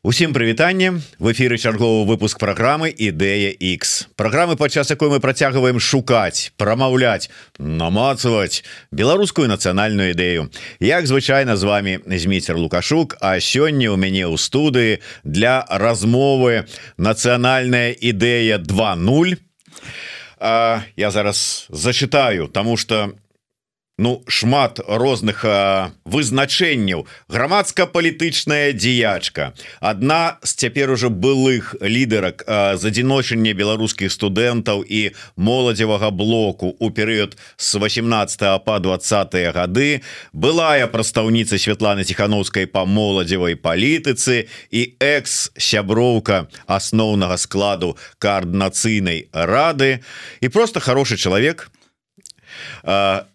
Усім прывітанне, в эфіры чарговы выпуск праграмы Ідэя X. Праграмы, падчас якой мы працягваем шукаць, прамаўляць, намацаваць беларускую нацыянальную ідэю. Як звычайна з вами Зміцер Лукашук, а сёння ў мяне ў студыі для размовы нацыянальная ідэя 2.0. Я зараз зачытаю, таму што шмат розных вызначэнняў. Грамадска-палітычная дзеячка, адна з цяпер ужо былых лідарак задзіночання беларускіх студэнтаў і моладзевага блоку ў перыяд з 18 па 20 гады, былая прадстаўніца Святланы Ціхановскай па моладзевай палітыцы і экс-сяброўка асноўнага складу каардынацыйнай рады і просто хорошы чалавек,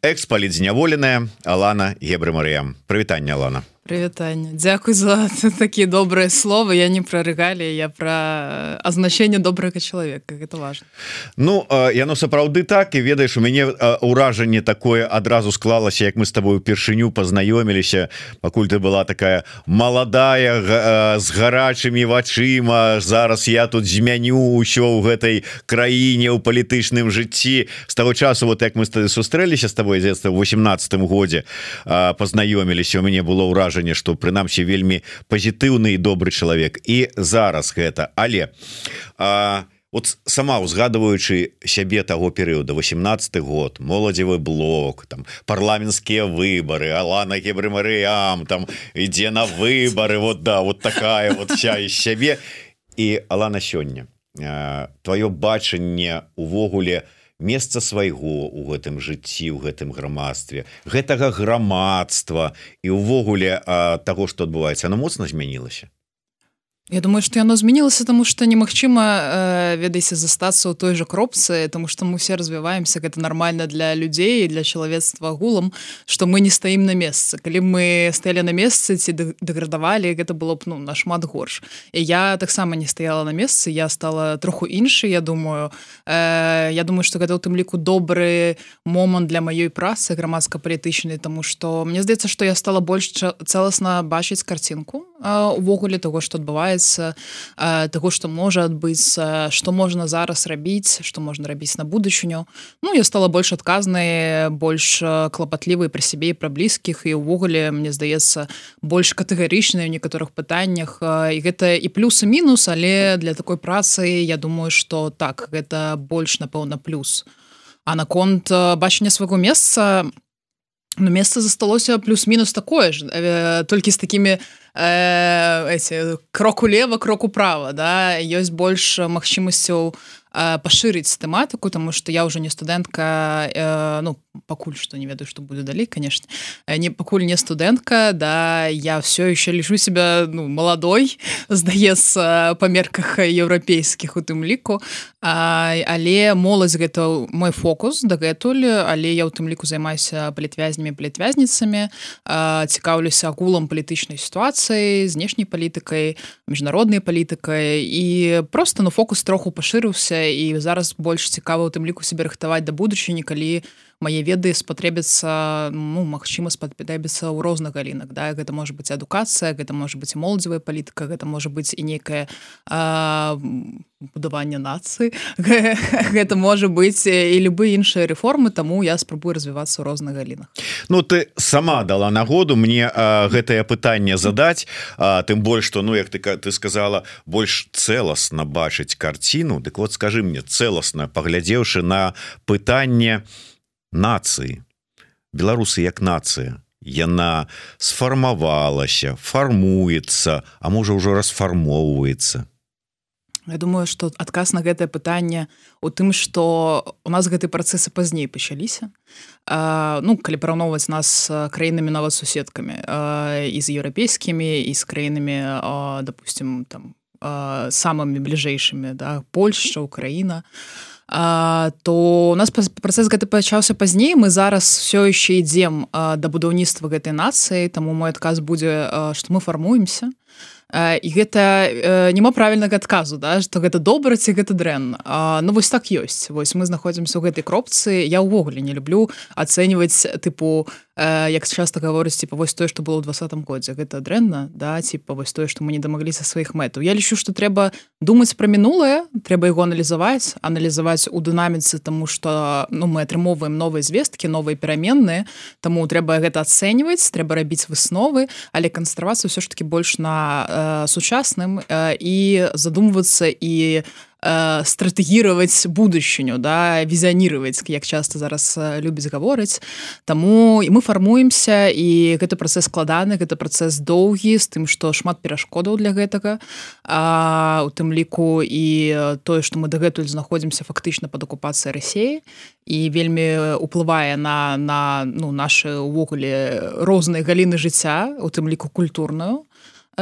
экс-палітзняволеная Алана Гебрэ-Марыям. Прывітанне, Алана. Прывітанне. Дзякуй за такія добрыя словы. Я не пра рэгаліі, я пра азначэнне добрага чалавека. Гэта важна. Яно сапраўды так, і ведаеш, у мяне ўражанне такое адразу склалася, як мы з табою упершыню пазнаёміліся, пакуль ты была такая маладая, з гарачымі вачыма. Зараз я тут змяню ўсё ў гэтай краіне, ў палітычным жыцці. З таго часу, як мы сустрэліся з табой дзетства ў 18-м годзе, пазнаёміліся, у мяне было ўражанне, што прынамсі вельмі пазітыўны і добры чалавек, і зараз гэта. Але сама узгадываючы сябе таго перыяда, 18-й год, моладзевы блок, там парламенцкія выбары, Алана Гебрэ-Марыям там ідзе на выбары, такая вся из сябе. І Алана, сёння твоё бачанне увогуле месца свайго ў гэтым жыцці, ў гэтым грамадстве, гэтага грамадства і ўвогуле таго, што адбываецца, оно моцна змянілася? Я думаю, што яно змянілася, таму што немагчыма, ведаеце, застацца ў той жа кропцы, таму што мы все развіваемся, гэта нармальна для людзей і для чалавецтва агулам, што мы не стаім на месцы. Калі мы стаялі на месцы ці дэградавалі, гэта было б нашмат горш. І я таксама не стаяла на месцы, я стала троху іншай, я думаю, што гэта ў тым ліку добры момант для маёй працы грамадска-палітычнай, таму што мне здаецца, што я стала больш цэласна бачыць карцінку увогуле таго, што адбываецца, таго, што можа адбыцца, што можна зараз рабіць, што можна рабіць на будучыню. Я стала больш адказнай, больш клапатлівай пра сябе і пра блізкіх, і ўвогуле, мне здаецца, больш катэгарычнай у некаторых пытаннях. І гэта і плюс, і мінус, але для такой працы, я думаю, што так, гэта больш, напэўна, плюс. А наконт бачання свайго месца, месца засталося плюс-мінус такое ж, толькі з такімі кроку лева, кроку права, да, ёсць больш магчымасцяў пашырыць тэматыку, таму што я ўжо не студэнтка, пакуль што не ведаю, што будзе далей, конечно, пакуль не студэнтка, да, я все еще лічу себя маладой, здаецца, па мерках еўрапейскіх у тым ліку, але моладзь гэта мой фокус дагэтуль, але я ў тым ліку займаюся палітвязнямі, палітвязніцамі, цікаўлюся агулам палітычнай сітуацыі, знешняй палітыкай, міжнароднай палітыкай, і просто фокус троху пашырыўся, і зараз больш цікава ў тым ліку себе рыхтаваць да будучыні, калі мае веды спатрэбяцца, магчыма, спатрэбяцца ў розных галінах, да, гэта можа быць адукацыя, гэта можа быць і моладзевая палітыка, гэта можа быць і нейкае будаванне нацыі, гэта можа быць і любыя іншыя рэформы, таму я спрабую развівацца ў розных галінах. Ты сама дала нагоду мне гэтае пытанне задаць, тым больш, што, як ты сказала, больш цэласна бачыць карціну. Дык скажы мне, цэласна, паглядзеўшы на пытанне нацыі, беларусы як нацыя, яна сфармавалася, фармуецца, а можа ўжо расфармоўваецца? Я думаю, што адказ на гэтае пытанне у тым, што у нас гэты працэсы пазней пачаліся. Калі параўноўваць нас з краінамі нават суседкамі, і з еўрапейскімі, і з краінамі, допустим, самымі бліжэйшымі, да, Польшча, Украіна, то у нас працэс гэты пачаўся пазней, мы зараз все яшчэ ідзем да будаўніцтва гэтай нацыі, таму мой адказ будзе, што мы фармуемся, і гэта няма правільнага адказу, да, што гэта добра ці гэта дрэнна. Вось так ёсць. Вось мы знаходзімся ў гэтай кропцы. Я ўвогуле не люблю ацэньваць, як часто гаворыць типа вось тое што было ў 20-м годзе гэта дрэнна да типа вось тое што мы не дамагліся сваіх мэтаў я лічу што трэба думаць пра мінулае трэба яго аналізаваць у дынаміцы тому што ну мы атрымоўваем новыя звесткі новыя пераменныя таму трэба гэта ацэньваць трэба рабіць высновы але канцэнтравацца ўсё ж таки больш на сучасным і задумвацца і стратэгіраваць будучыню да візіянировать як часто зараз любіць гаворыць таму мы фармуемся і гэты працэс складаны гэта працэс доўгі з тым што шмат перашкодаў для гэтага у тым ліку і тое што мы дагэтуль знаходзімся фактычна пад акупацыяй Расіі і вельмі уплывае на ну нашы увогуле розныя галіны жыцця у тым ліку культурную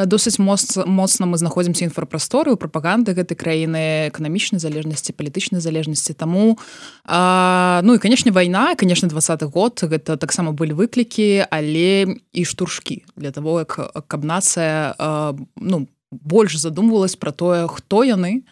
досыць моцна мы знаходзімся інфрапрасторы ў прапаганды гэтай краіны эканамічнай залежнасці палітычнай залежнасці таму ну і канешне вайна канешне 20-й год гэта таксама былі выклікі але і штуршкі для того каб нацыя ну больш задумвалась пра тое хто яны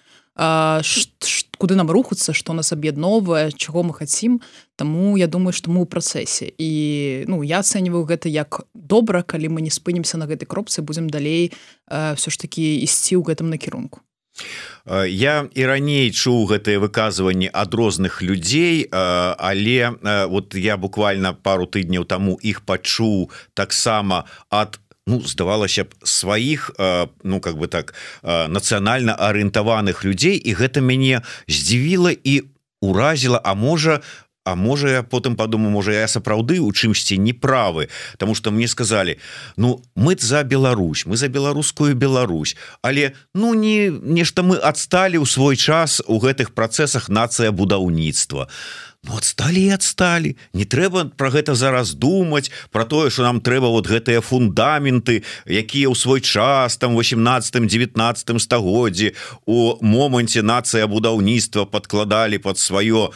куды нам рухацца што нас аб'ядноўвае чаго мы хацім таму я думаю што мы ў працэсе і ну я ацэньваю гэта як добра калі мы не спынімся на гэтай кропцы будзем далей все ж таки ісці ў гэтым накірунку Я і раней чуў гэтыя выказванні ад розных людзей але вот я буквально пару тыдняў таму іх пачуў таксама ад ну, здавалася б сваіх ну как бы так нацыянальна арыентаваных людзей і гэта мяне здзівіла і уразіла а можа я потым подумаю можа я сапраўды у чымсьці неправы тому что мне сказали ну мы за Беларусь мы за беларускую Беларусь але ну не нешта мы адсталі ў свой час у гэтых працэсах нацыя будаўніцтва ну, отстали не трэба про гэта зараз думаць про тое что нам трэба вот гэтыя фундаменты якія ў свой час там 18-19 стагоддзі у моманце нацыя будаўніцтва подкладалі под сваё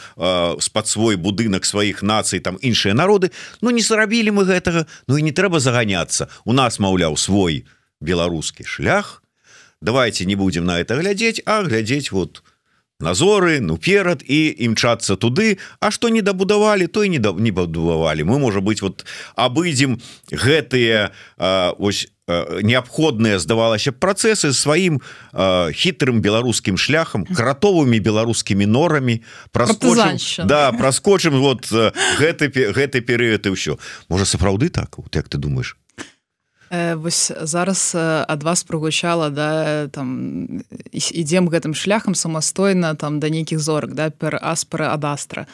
под свой будынак сваіх нацый там іншыя народы ну не зрабілі мы гэтага ну і не трэба заганяцца у нас маўляў свой беларускі шлях давайте не будем на это глядзець а глядзець вот назоры ну перад і імчацца туды а што не дабудавалі то і не бадувавалі мы можа быть вот абыдзем гэтыя ось неабходныя здавалася працэсы сваім хітрым беларускім шляхам кратовымі беларускімі норамі праскочым вот гэты перыяд і ўсё можа сапраўды так вот як ты думаешь Вось зараз ад вас прагучала да там ідзем гэтым шляхам самастойна там да нейкіх зорак да пер аспера ад астра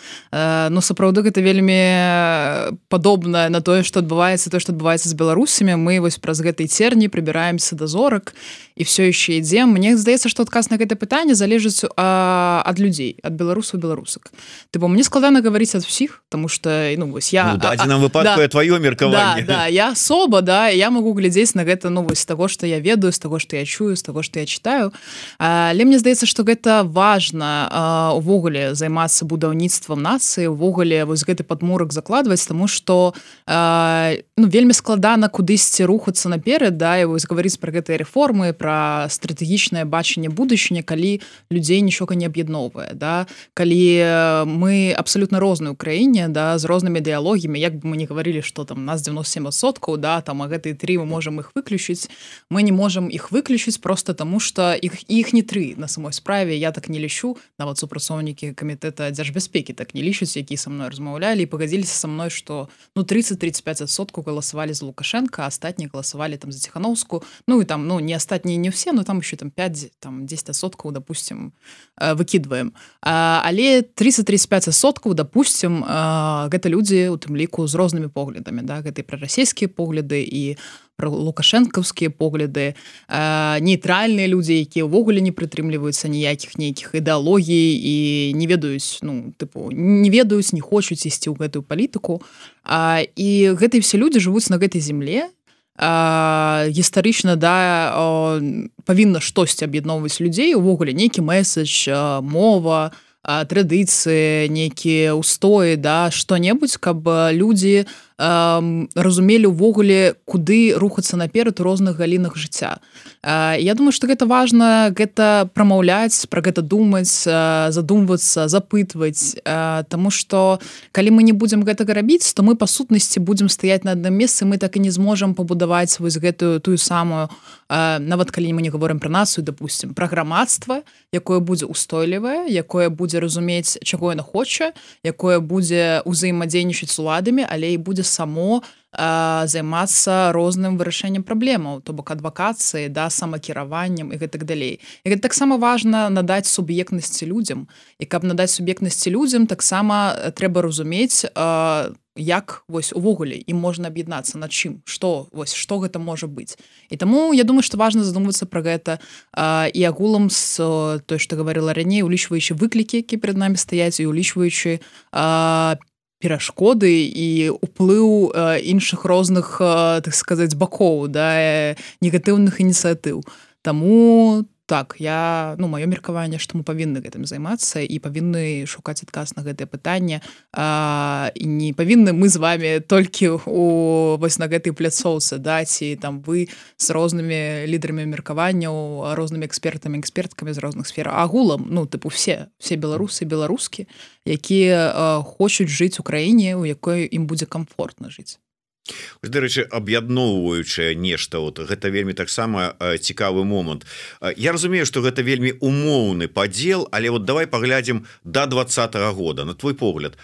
ну сапраўды гэта вельмі падобна на тое што адбываецца з беларусамі мы вось праз гэтай церні прыбіраемся да зорак і все яшчэ ідзем мне здаецца што адказ на гэта пытанне залежыць ад людзей ад беларусаў беларусак ты бо мне складана гаварыць ад усіх тому што ну вось я дадзеным выпадку тваё меркаванне да я асоба да я могу глядзець на гэта ну вось з таго што я ведаю з таго што я чую з таго што я читаю але мне здаецца што гэта важна увогуле займацца будаўніцтвам нацыі увогуле вось гэты падмурак закладваць таму што ну вельмі складана кудысьці рухацца наперад да і вось гаварыць пра гэтыя рэформы пра стратэгічнае бачанне будучыні калі людзей нічога не аб'ядноўвае да калі мы абсалютна розныя ў краіне да з рознымі ідэалогіямі як бы мы не гаварылі што там нас 97% да там а гэтыя 3 мы можем их выключыць мы не можем их выключыць просто тому что іх не 3 на самой справе я так не лічу нават супрацоўнікі камітэта дзяржбяспекі так не лічаць які са мной размаўлялі і пагадзіліся са мной что ну 30-35% галасавалі за Лукашенко астатнія галасавалі там за Ціхановску ну і там ну не астатнія не все но там еще там 5 там 10% допустим выкидываем але 30-35% допустим гэта людзі у тым ліку з рознымі поглядамі да гэтай прарасійскія погляды і про лукашэнкаўскія погляды нейтральныя людзі якія ўвогуле не прытрымліваюцца ніякіх нейкіх ідэалогій і не ведаюць ну тыпу не ведаюць не хочуць ісці ў гэтую палітыку і гэтыя все людзі жывуць на гэтай земле гістарычна да павінна штосьці аб'ядноўваць людзей увогуле нейкі месседж мова традыцыі нейкія устоі да што-небудзь каб людзі разумелі ўвогуле куды рухацца наперад у розных галінах жыцця. Я думаю, што гэта важна гэта прамаўляць, пра гэта думаць, задумвацца, запытваць, таму што калі мы не будзем гэтага рабіць, то мы па сутнасці будзем стаяць на адным месцы, мы так і не зможам пабудаваць вось гэтую тую самую, нават калі мы не гаворым пра нацыю, допустим, пра грамадства, якое будзе устойлівае, якое будзе разумець, чаго яна хоча, якое будзе ўзаемадзейнічаць з уладамі, але і будзе само займацца розным вырашэннем праблемаў, то бок адвакацыі, да, самакіраваннем і гэтак далей. І гэта таксама важна надаць суб'ектнасці людзям. І каб надаць суб'ектнасці людзям, таксама трэба разумець, як вось увогуле ім можна аб'яднацца, над чым, што гэта можа быць. І таму я думаю, што важна задумвацца пра гэта і агулам з той, што гаварыла раней, улічваючы выклікі, якія перад намі стаяць, і улічваючы перашкоды і ўплыў іншых розных, так сказаць, бакоў, да, негатыўных ініцыятыў. Таму так, маё меркаванне, што мы павінны гэтым займацца і павінны шукаць адказ на гэтае пытанне. І не павінны мы з вами толькі вось на гэтай пляцоўцы, да, ці там вы з рознымі лідарамі меркаванняў, рознымі экспертамі, эксперткамі з розных сфер. Агулам, все беларусы, беларускі, якія хочуць жыць у краіне, у якой ім будзе комфортна жыць. Дарэчы, аб'ядноўваючае нешта, гэта вельмі таксама цікавы момант. Я разумею, што гэта вельмі умоўны падзел, але давай паглядзім да 2020 года. На твой погляд,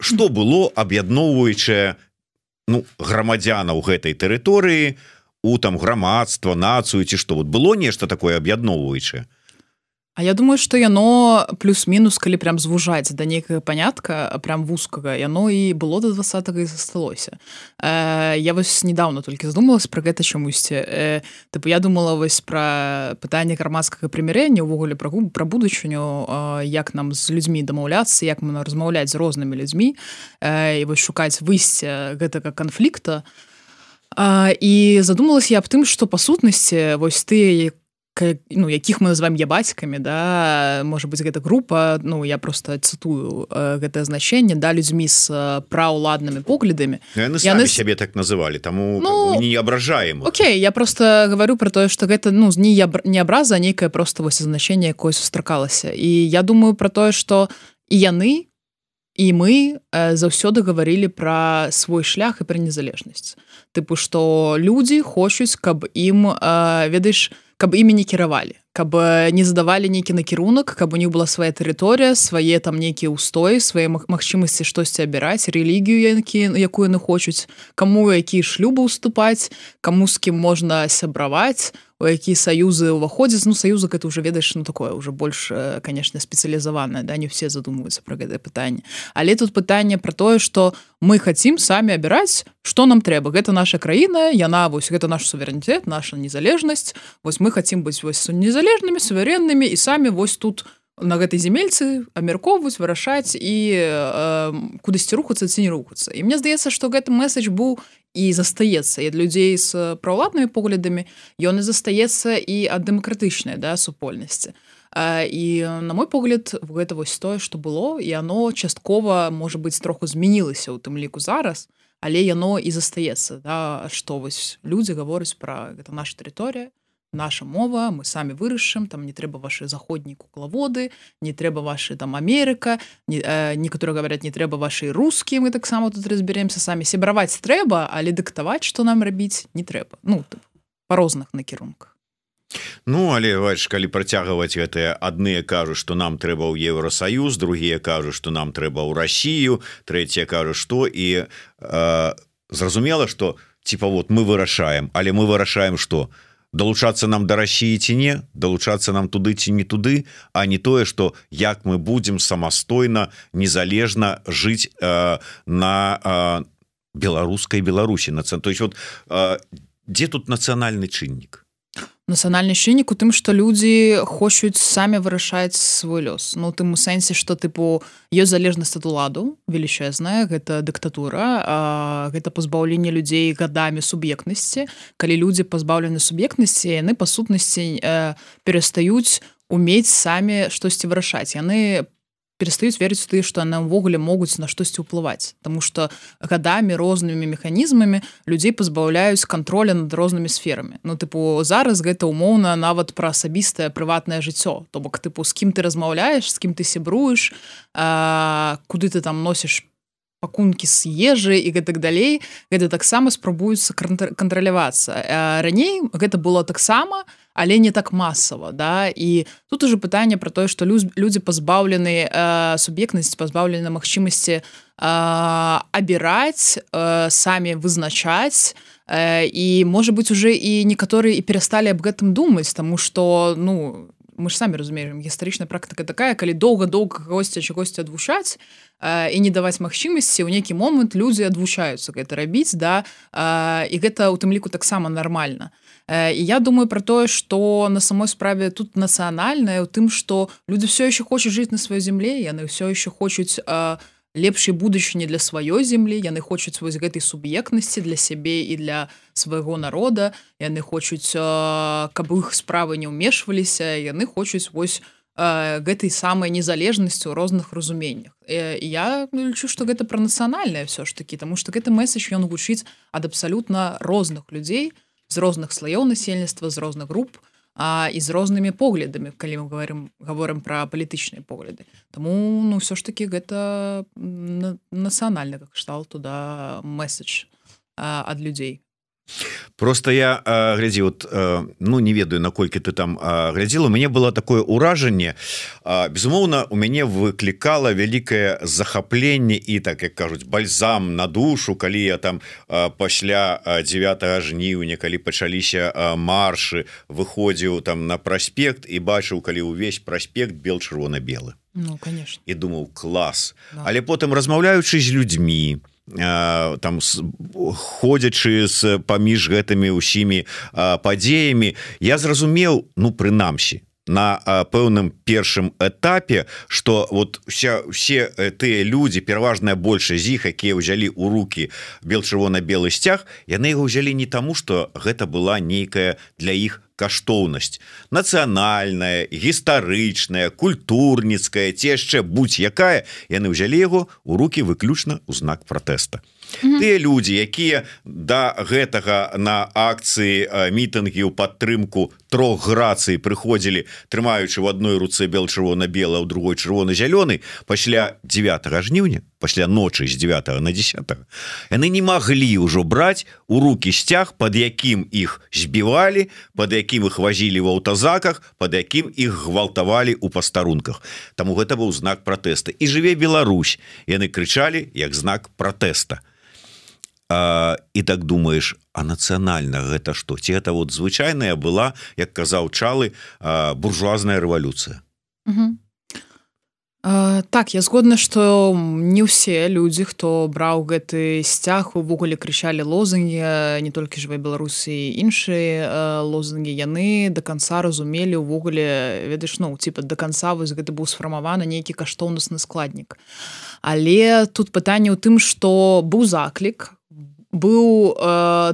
што было аб'ядноўваючае грамадзянаў гэтай тэрыторыі, у там грамадства, нацыю ці што? Было нешта такое аб'ядноўваючае? А я думаю, што яно плюс-мінус, калі прям звужаць да нейкага панятка, прям вузкага, яно і было да 20-го і засталося. Я вось недавно толькі задумалась пра гэта чамусьці. Я думала вось пра пытанне грамадскага прымірэння, увогуле пра будучыню, як нам з людзьмі дамаўляцца, як мы размаўляць з рознымі людзьмі, і вось шукаць выйсце гэтага канфлікта. І задумалась я аб тым, што па сутнасці вось тыя, якіх мы называем ябацькамі, да, можа быць, гэта група, я просто цытую гэтае значэнне, да, людзьмі з праўладнымі поглядамі. Яны самі сябе так называлі, таму не абражаем. Окей, я просто говорю про тое, што гэта не абраза, а нейкае просто вось значэнне, якое сустракалася. І я думаю про тое, што і яны, і мы заўсёды гаварылі пра свой шлях і пра незалежнасць. Што людзі хочуць, каб ім, ведаеш, каб імі не кіравалі, каб не задавалі нейкі накірунак, каб у них была свая тэрыторыя, свае там нейкія ўстоі, свае магчымасці штосьці абіраць, рэлігію, якую яны хочуць, каму якія шлюбы ўступаць, каму з кім можна сябраваць, у якія саюзы ўваходзяць. Саюзы гэта ўжо, ведаеш, такое ўжо больш, конечно, спецыялізаванае, да, не ўсе задумваюцца пра гэтае пытанне. Але тут пытанне пра тое, што мы хацім самі абіраць, што нам трэба. Гэта наша краіна, яна, вось, гэта наш суверэнітэт, наша незалежнасць. Вось мы хацім быць вось незалежнымі, суверэннымі і самі вось тут на гэтай земельцы абмяркоўваць, вырашаць і кудысьці рухацца ці не рухацца. І мне здаецца, што гэты месседж быў і застаецца і ад людзей з праўладнымі поглядамі, ён і застаецца і ад дэмакратычнай, да, супольнасці. І на мой погляд, гэта вось тое, што было, і яно часткова, можа быць, троху змянілася ў тым ліку зараз, але яно і застаецца, да, што вось людзі гавораць пра гэта наша тэрыторыя, наша мова, мы самі вырашым, там не трэба ваши заходнія куклаводы, не трэба ваши там Амерыка, некаторыя говорят, не трэба ваши рускія, мы таксама тут разберемся самі. Сябраваць трэба, але дыктаваць, што нам рабіць, не трэба. Па розных накірунках. Але, бачыш, калі працягваць гэтыя, адныя кажуць, што нам трэба ў Еўрасаюз, другія кажуць, што нам трэба ў Расію, трэція кажуць, што, і зразумела, што, мы вырашаем, але мы вырашаем, што? Далучацца нам да Расіі ці не, далучацца нам туды ці не туды, а не тое, што як мы будзем самастойна, незалежна жыць на беларускай Беларусі. То есть, дзе тут нацыянальны чыннік? Нацыянальны чыннік у тым, што людзі хочуць самі вырашаць свой лёс. У тым сэнсе, што ёсць залежнасць ад уладу велічэзная, гэта дыктатура, гэта пазбаўленне людзей гадамі суб'ектнасці. Калі людзі пазбаўлены суб'ектнасці, яны па сутнасці перастаюць умець самі штосьці вырашаць. Яны перестаюць верыць у тыя, што яны ўвогуле могуць на штосьці ўплываць. Таму што гадамі рознымі механізмамі людзей пазбаўляюць кантроля над рознымі сферамі. Ну, тыпу, зараз гэта умоўна нават пра асабістае прыватнае жыццё. То бок, тыпу, з кім ты размаўляеш, з кім ты сябруеш, куды ты там носіш пакункі з ежы і гэтак далей, гэта таксама спрабуюцца кантралявацца. Раней гэта было таксама, але не так масава, да, і тут уже пытанне пра тое, што людзі пазбаўлены суб'ектнасці, пазбаўлены магчымасці абіраць, самі вызначаць, і, можа быць, уже і некаторыя і перасталі аб гэтым думаць, таму што, ну, мы ж самі разумеем, гістарычная практыка такая, калі доўга-доўга чагосьці адвучаць і не даваць магчымасці, ў нейкі момант людзі адвучаюцца гэта рабіць, да, і гэта ў тым ліку таксама нармальна. І я думаю пра тое, што на самой справе тут нацыянальнае ў тым, што людзі ўсё яшчэ хочуць жыць на сваёй зямле, яны ўсё яшчэ хочуць лепшай будучыні для сваёй зямлі, яны хочуць вось гэтай суб'ектнасці для сябе і для свайго народа, яны хочуць, каб іх справы не ўмешваліся, яны хочуць вось гэтай самай незалежнасці ў розных разуменнях. І я лічу, што гэта пра нацыянальнае ўсё ж такі, таму што гэты месседж ён гучыць ад абсалютна розных людзей, з розных слаёў насельніцтва, з розных груп і з рознымі поглядамі, калі мы гаворым пра палітычныя погляды. Таму, ну, ўсё ж такі гэта нацыянальны кшталту, да, месседж ад людзей. Просто я глядзі, вот, ну, не ведаю, наколькі ты там глядзіла, у мяне было такое ўражанне, безумоўна, у мяне выклікала вялікае захапленне і, так як кажуць, бальзам на душу, калі я там пасля 9 жніўня, калі пачаліся маршы, выходзіў там на праспект і бачыў, калі ўвесь праспект бел-чырвона-белы. Ну, конечно. І думаў, клас. Да. Але потым, размаўляючы з людзьмі, там ходзячы паміж гэтымі ўсімі падзеямі, я зразумеў, ну, прынамсі, на пэўным першым этапе, што вот все тыя людзі, пераважная большасць з іх, якія ўзялі ў рукі бел-чырвона-белы сцяг, яны яго ўзялі не таму, што гэта была нейкая для іх каштоўнасць нацыянальная, гістарычная, культурніцкая, ці яшчэ будь-якая, яны ўзялі яго ў рукі выключна ў знак пратэста. Тыя людзі, якія да гэтага на акцыі мітынгі ў падтрымку трох грацый прыходзілі, трымаючы ў адной руцэ бел-чырвона-белы, а ў другой чырвона-зялёны, пасля 9 жніўня, пасля ночы з 9 на 10, яны не маглі ўжо браць у рукі сцяг, пад якім іх збівалі, пад якім іх вазілі ў аўтазаках, пад якім іх гвалтавалі ў пастарунках. Таму гэта быў знак пратэста. І жыве Беларусь, яны крычалі як знак пратэста. І так думаеш, а нацыянальна гэта што? Ці гэта вот звычайная была, як казаў Чалы, буржуазная рэвалюцыя? Так, я згодна, што не ўсе людзі, хто браў гэты сцяг, увогуле крычалі лозунгі, не толькі жыве Беларусі, іншыя лозунгі, яны да канца разумелі увогуле, ведаеш, ну, типа, да канца вось гэта быў сфармаваны нейкі каштоўнасны складнік. Але тут пытанне ў тым, што быў заклік, быў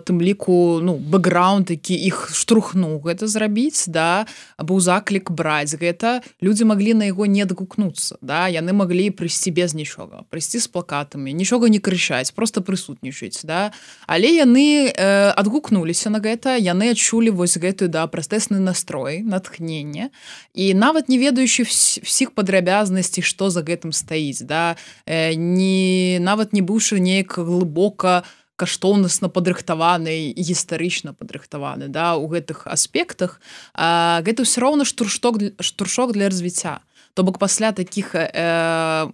тым ліку, ну, бэкграунд, які іх штурхнуў гэта зрабіць, да, быў заклік браць гэта, людзі маглі на яго не адгукнуцца, да, яны маглі прыйсці без нічога, прыйсці з плакатамі, нічога не крычаць, проста прысутнічаць, да, але яны адгукнуліся на гэта, яны адчулі вось гэтую, да, пратэсны настрой, натхненне, і нават не ведаючы всіх падрабязнасцей, што за гэтым стаіць, да, нават не быўшы неяк глыбока каштоўнасна падрыхтаваны і гістарычна падрыхтаваны, да, у гэтых аспектах, гэта ўсё роўна штуршок для развіцця. То бок пасля такіх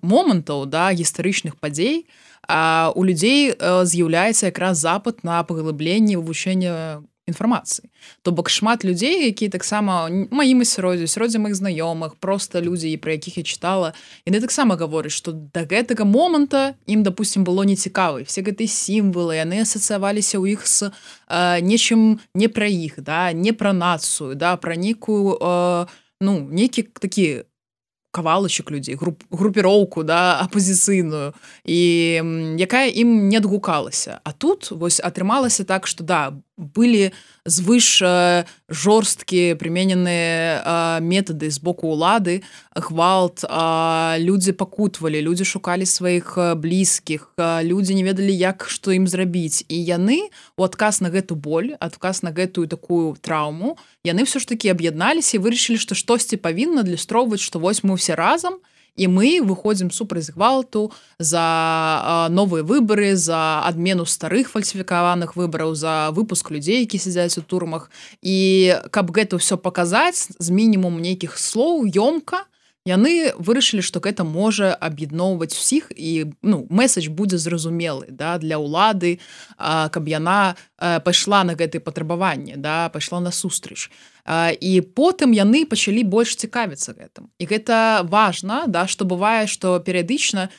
момантаў, да, гістарычных падзей, у людзей з'яўляецца якраз запыт на паглыбленне вывучэння інфармацыі. То бок шмат людзей, якія таксама маім асяроддзі маіх знаёмых, проста людзі, пра якіх я чытала, яны таксама гавораць, што да гэтага моманта ім, допустим, было нецікава. Все гэтыя сімвалы, яны асацыяваліся ў іх з нечым не пра іх, да, не пра нацыю, да, пра нейкую, ну, нейкі такі кавалачак людзей, групіроўку, да, апазіцыйную, і якая ім не адгукалася. А тут вось атрымалася так, што да, былі звыш жорсткія прымененыя метады з боку ўлады, гвалт, людзі пакутвалі, людзі шукалі сваіх блізкіх, людзі не ведалі, як што ім зрабіць. І яны у адказ на гэту боль, адказ на гэтую такую траўму, яны ўсё ж такі аб'ядналіся і вырашылі, што штосьці павінна адлюстроўваць, што вось мы ўсе разам, і мы выходзім супраць гвалту за новыя выбары, за адмену старых фальсіфікаваных выбараў, за выпуск людзей, які сядзяць у турмах. І каб гэта ўсё паказаць з мінімум нейкіх слоў, ёмка, яны вырашылі, што гэта можа аб'ядноўваць усіх, і месседж будзе зразумелы, да, для ўлады, каб яна пайшла на гэтыя патрабаванні, да, пайшла на сустрэч. І потым яны пачалі больш цікавіцца гэтым. І гэта важна, да, што бывае, што перыядычна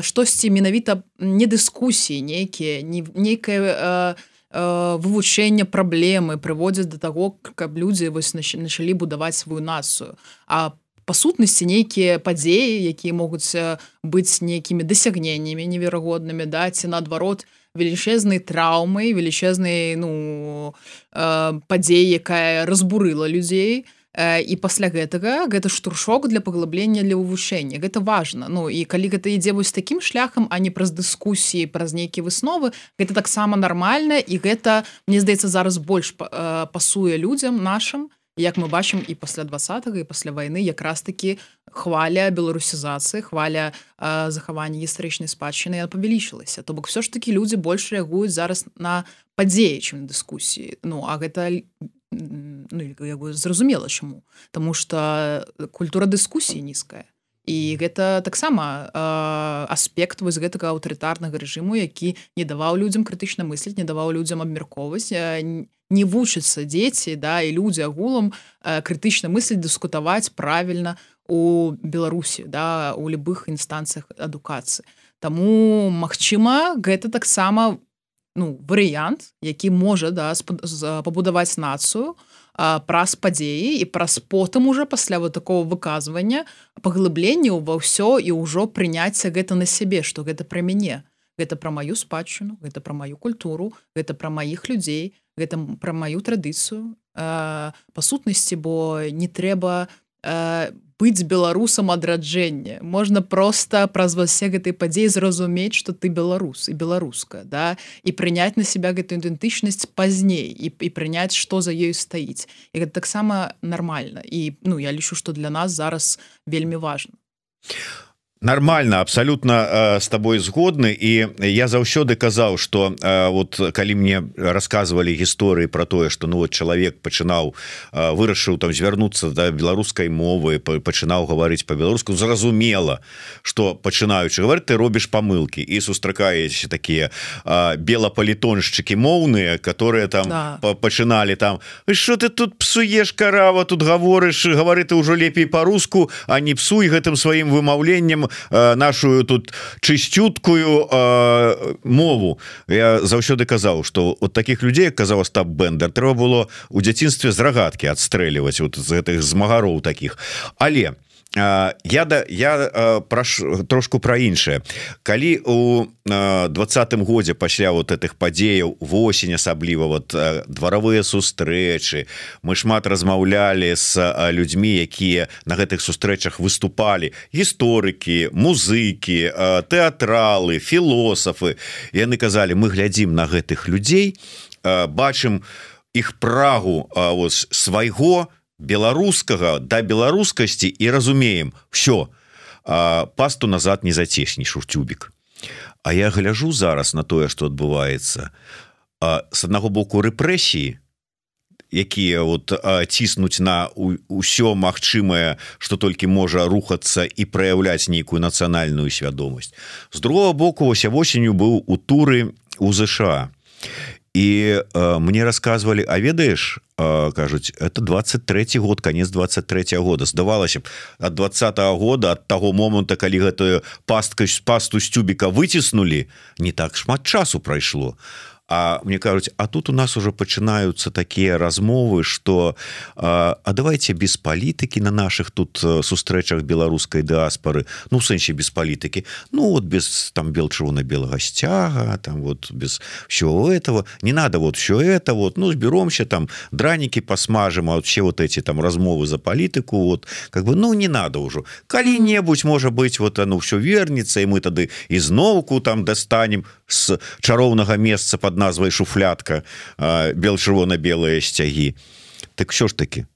штосьці менавіта не дыскусіі нейкія, нейкае вывучэнне праблемы прыводзяць да таго, каб людзі вось началі будаваць сваю нацыю. А па сутнасці нейкія падзеі, якія могуць быць нейкімі дасягненнямі неверагоднымі, да, ці наадварот велічэзнай траўмай, велічэзнай падзеі, якая разбурыла людзей. І пасля гэтага гэта штуршок для паглыблення, для вывучэння. Гэта важна. І калі гэта ідзе вось такім шляхам, а не праз дыскусіі, праз нейкія высновы, гэта таксама нармальна, і гэта, мне здаецца, зараз больш пасуе людзям нашым, як мы бачым і пасля 20-го, і пасля вайны якраз-такі хваля беларусізацыі, хваля захавання гістарычнай спадчыны павялічылася. То бок все ж такі людзі больш рэагуюць зараз на падзеі, чым на дыскусіі. А гэта зразумела чаму. Таму што культура дыскусіі нізкая. І гэта таксама аспект вось гэтага аўтарытарнага рэжыму, які не даваў людзям крытычна мысліць, не даваў людзям абмяркоўваць, не вучацца дзеці, да, і людзі агулам крытычна мысліць, дыскутаваць правільна у Беларусі, да, у любых інстанцыях адукацыі. Таму, магчыма, гэта таксама варыянт, які можа, да, пабудаваць нацыю праз падзеі і праз потым уже пасля вот такого выказвання паглыблення ва ўсё і ўжо прыняцце гэта на сябе, што гэта пра мяне. Гэта пра маю спадчыну, гэта пра маю культуру, гэта пра маіх людзей, гэта пра маю традыцыю. Па сутнасці, бо не трэба быць беларусам адраджэння. Можна проста праз усе гэтай падзеі зразумець, што ты беларус і беларуска, да? І прыняць на себя гэтую ідэнтычнасць пазней і прыняць, што за ёю стаіць. І гэта таксама нармальна. І я лічу, што для нас зараз вельмі важна. Нормально, абсолютно с тобой згодны. І я заўсёды казаў, что вот калі мне рассказывали гісторыі про тое, что вот чалавек пачынаў, вырашыў там звярнуцца да беларускай мовы, пачынаў гаварыць по-беларуску, зразумела, что пачынаючы гаварыць, ты робіш памылкі, і сустракаеш такія белапалітоншчыкі моўныя, которые там пачыналі там: что ты тут псуеш, карава, тут гавары ты ўжо лепей по-руску, а не псуй гэтым сваім вымаўленнем нашу тут чысцюткую мову. Я заўсёды казаў, что от таких людей, як казаў Остап Бендер, трэба было у дзяцінстве з рагаткі адстрэльваць вот з гэтых змагароў таких. Але я трошку про іншае. Калі у 20-м годзе пасля вот этих падзеяў, восень асабліва, вот дваравыя сустрэчы, мы шмат размаўлялі з людзьмі, якія на гэтых сустрэчах выступалі, гісторыкі, музыкі, тэатралы, філосафы. Яны казалі: мы глядзім на гэтых людзей, бачым іх прагу свайго беларускага да беларускасці і разумеем: все, пасту назад не зацеснеш у тюбік. А я гляжу зараз на тое, што адбываецца. З аднаго боку, рэпрэсіі, якія вот ціснуць на ўсё магчымае, што толькі можа рухацца і праяўляць нейкую нацыянальную свядомасць. З другого боку, восенню быў у туры у ЗША. І мне рассказывали: а ведаеш, кажуць, это 23-й год, конец 23-го года. Здавалася б, ад 20-го года, ад таго моманта, калі гэтую пасту з тюбіка выціснулі, не так шмат часу прайшло. А мне кажуць, а тут у нас уже пачынаюцца такія размовы, что а давайте без палітыкі на наших тут сустрэчах беларускай дыаспоры, ну в сэнсе без палітыкі, ну вот без там чырвона-белага сцяга, там вот без всего этого, не надо вот все это, вот, ну сберемся там, драники посмажем, а вот все вот эти там размовы за палітыку, вот, как бы, ну не надо уже. Калі-небудзь, может быть, вот оно все вернется, и мы тады изноўку там достанем с чароўнага месца под назвай шуфлятка чырвона-белыя сцягі. Так що ж таки,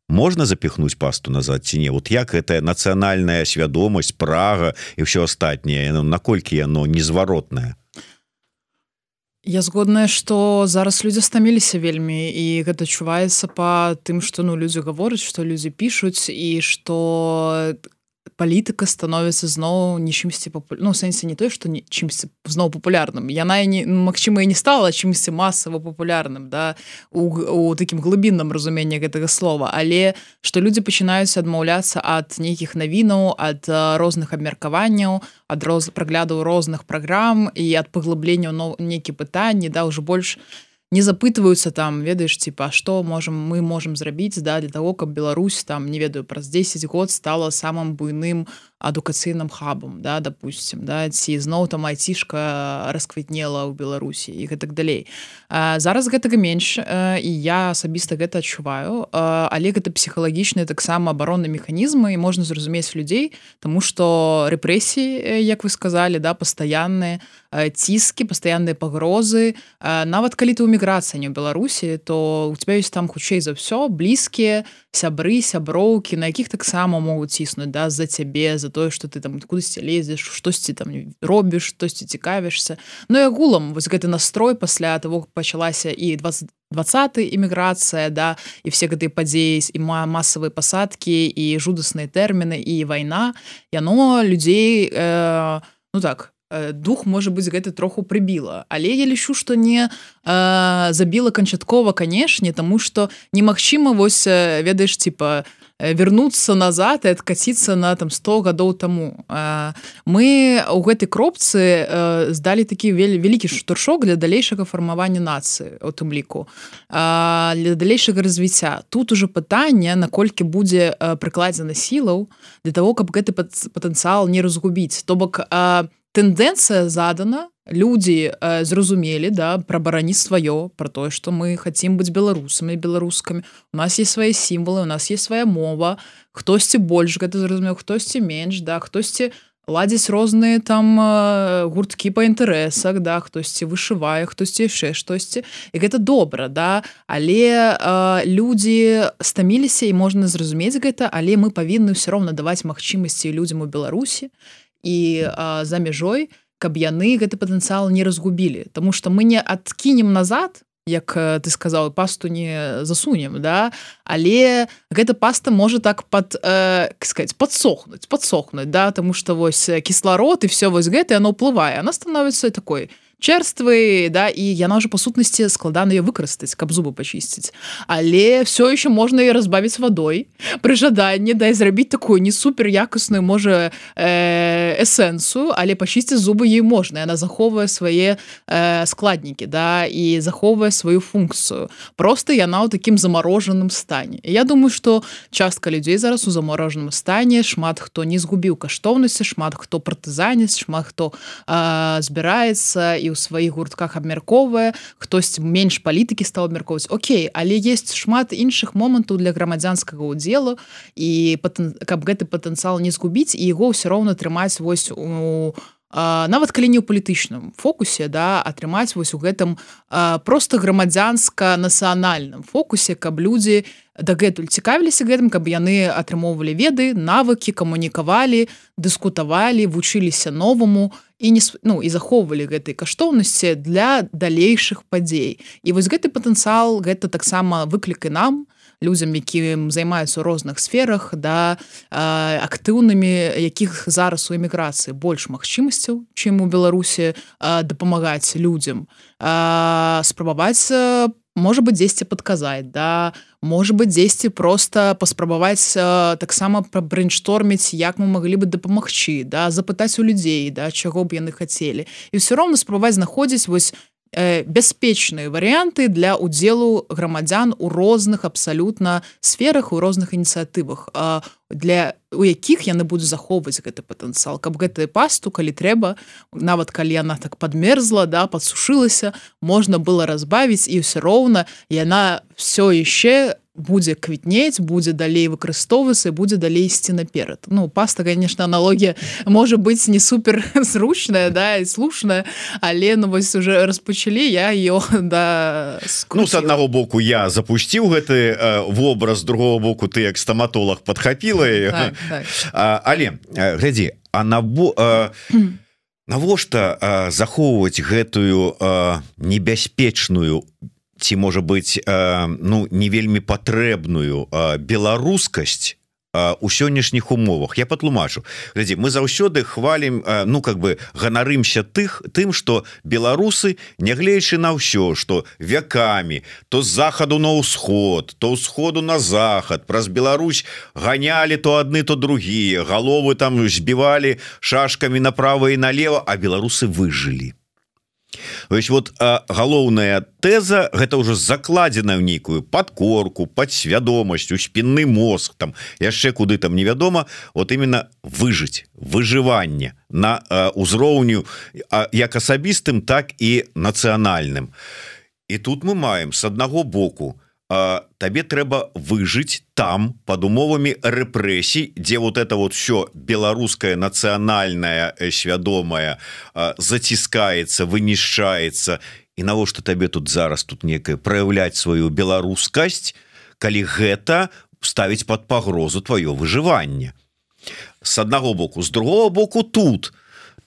можна запихнуть пасту назад ці не? Вот як гэтая нацыянальная свядомасць, прага і ўсё астатняе, наколькі яно незваротнае? Я згодная, што зараз людзі стаміліся вельмі, і гэта адчуваецца па тым, што людзі гавораць, што людзі пішуць, і што палітыка становіцца зноў не чымсьці в сэнсе не той, што чымсьці зноў папулярным. Яна магчыма і не стала чымсьці масава папулярным, да, у такім глыбінным разуменні гэтага слова, але што людзі пачынаюць адмаўляцца ад нейкіх навінаў, ад розных абмеркаванняў, ад праглядаў розных праграм і ад паглыбленняў нейкія пытанні, да, ўжо больш не запытваюцца там, ведаеш, типа, што мы можам зрабіць, да, для того, каб Беларусь там, не ведаю, праз 10 год стала самым буйным адукацыйным хабам, да, допустим, да, ці зноў там айцішка расквітнела ў Беларусі і гэтак далей. Зараз гэтага менш, і я асабіста гэта адчуваю, але гэта псіхалагічныя таксама абаронныя механізмы, і можна зразумець людзей, таму што рэпрэсіі, як вы сказалі, да, пастаянныя ціскі, пастаянныя пагрозы, нават калі ты ў міграцыі не ў Беларусі, то у тебя ёсць там хутчэй за ўсё блізкія сябры, сяброўкі, на якіх таксама могуць ціснуць, да, за цябе, за тое, што ты там кудысьці лезеш, штосьці там робіш, штосьці цікавішся. Ну і агулам вось гэты настрой пасля того, как пачалася і 20-й іміграцыя, да, і все гэтыя падзеі, і масавыя пасадкі, і жудасныя тэрміны, і вайна, яно людзей, дух, можа быць, гэта троху прыбіла. Але я лічу, што не забіла канчаткова, канешне, таму што немагчыма, вось, ведаеш, типа, вернуцца назад і адкаціцца на там 100 гадоў таму. Мы ў гэтай кропцы здалі такі вялікі штуршок для далейшага фармавання нацыі, у тым ліку, для далейшага развіцця. Тут ужо пытанне, наколькі будзе прыкладзена сілаў для того, каб гэты патэнцыял не разгубіць. То бок, тэндэнцыя задана, людзі зразумелі, да, пра бараніць сваё, пра тое, што мы хацім быць беларусамі, беларускамі. У нас есть свае сімвалы, у нас есть свая мова, хтосьці больш гэта зразумеў, хтосьці менш, да, хтосьці ладзіць розныя там гурткі па інтарэсах, да, хтосьці вышывае, хтосьці яшчэ штосьці. І гэта добра, да, але людзі стаміліся, і можна зразумець гэта, але мы павінны ўсё роўна даваць магчымасці людзям у Беларусі і за мяжой, каб яны гэты патэнцыял не разгубілі. Таму што мы не адкінем назад, як ты сказаў, пасту не засунем, да, але гэта паста можа так падсохнуць, да, таму што вось кісларод і все вось гэта, яно ўплывае, яна становіцца такой чэрствай, да, і яна ўжо па сутнасці складана яе выкарыстаць, каб зубы пачысціць. Але все еще можна яе разбавіць вадой пры жаданні, да, і зрабіць такую не супер якасную, можа, эсэнсу, але пачысціць зубы ей можна. Яна захоўвае свае складнікі, да, і захоўвае сваю функцыю. Просто яна ў такім замарожаным стане. І я думаю, што частка людзей зараз у замарожаным стане, шмат хто не згубіў каштоўнасці, шмат хто партызаніць, шмат хто збіраецца і ў сваіх гуртках абмяркоўвае, хтось менш палітыкі стаў абмяркоўваць. Окей, але ёсць шмат іншых момантаў для грамадзянскага ўдзелу, і каб гэты патэнцыял не згубіць, і яго ўсё роўна трымаць вось у нават калі не ў палітычным фокусе, да, атрымаць вось у гэтым проста грамадзянска-нацыянальным фокусе, каб людзі дагэтуль цікавіліся гэтым, каб яны атрымоўвалі веды, навыкі, камунікавалі, дыскутавалі, вучыліся новаму і захоўвалі гэтай каштоўнасці для далейшых падзей. І вось гэты патэнцыял, гэта таксама выклік і нам, людзям, якім займаюцца ў розных сферах, да, актыўнымі, якіх зараз у эміграцыі больш магчымасцяў, чым у Беларусі, дапамагаць людзям, спрабаваць, можа быць, дзесьці падказаць, да, можа быць, дзесьці проста паспрабаваць таксама брейншторміць, як мы маглі бы дапамагчы, да, запытаць у людзей, да, чаго б яны хацелі. І ўсё роўна спрабаваць знаходзіць вось бяспечныя варыянты для ўдзелу грамадзян у розных абсалютна сферах, у розных ініцыятывах, у якіх яны будуць захоўваць гэты патэнцыял, каб гэтую пасту, калі трэба, нават калі яна так падмерзла, да, падсушылася, можна было разбавіць, і ўсё роўна яна все яшчэ будзе квітнець, будзе далей выкарыстоўвацца, будзе далей ісці наперад. Ну, паста, конечно, аналогія можа быць не супер зручная, да, і слушная, але, ну, вось уже распачалі, я её, да, скруціла. Ну, с аднаго боку, я запусціў гэты вобраз, з другого боку, ты як стаматолог падхапіла яе. Так, так. Але, глядзі, навошта захоўваць гэтую небяспечную, ці можа быць, ну, не вельмі патрэбную беларускасць у сённяшніх умовах? Я патлумачу. Глядзі, мы заўсёды хвалім, ну, как бы ганарымся тым, што беларусы, нягледзячы на ўсё, што вякамі то з захаду на ўсход, то ўсходу на захад, праз Беларусь ганялі то адны, то другія, галовы там збівалі шашкамі направа і налево, а беларусы выжылі. Вось вот галоўная тэза, гэта ўжо закладзена ў нейкую падкорку, падсвядомасць, у спінны мозг, там яшчэ куды там невядома, вот именно выжыць, выжыванне на ўзроўню як асабістым, так і нацыянальным. І тут мы маем с аднаго боку, табе трэба выжыць там под умовамі рэпрэсій, дзе вот это вот все беларускае нацыянальнае свядомае заціскаецца, вынішчаецца, і навошта табе тут зараз тут некае праяўляць сваю беларускасць, калі гэта ставіць под пагрозу твоё выжыванне. С аднаго боку, з другого боку, тут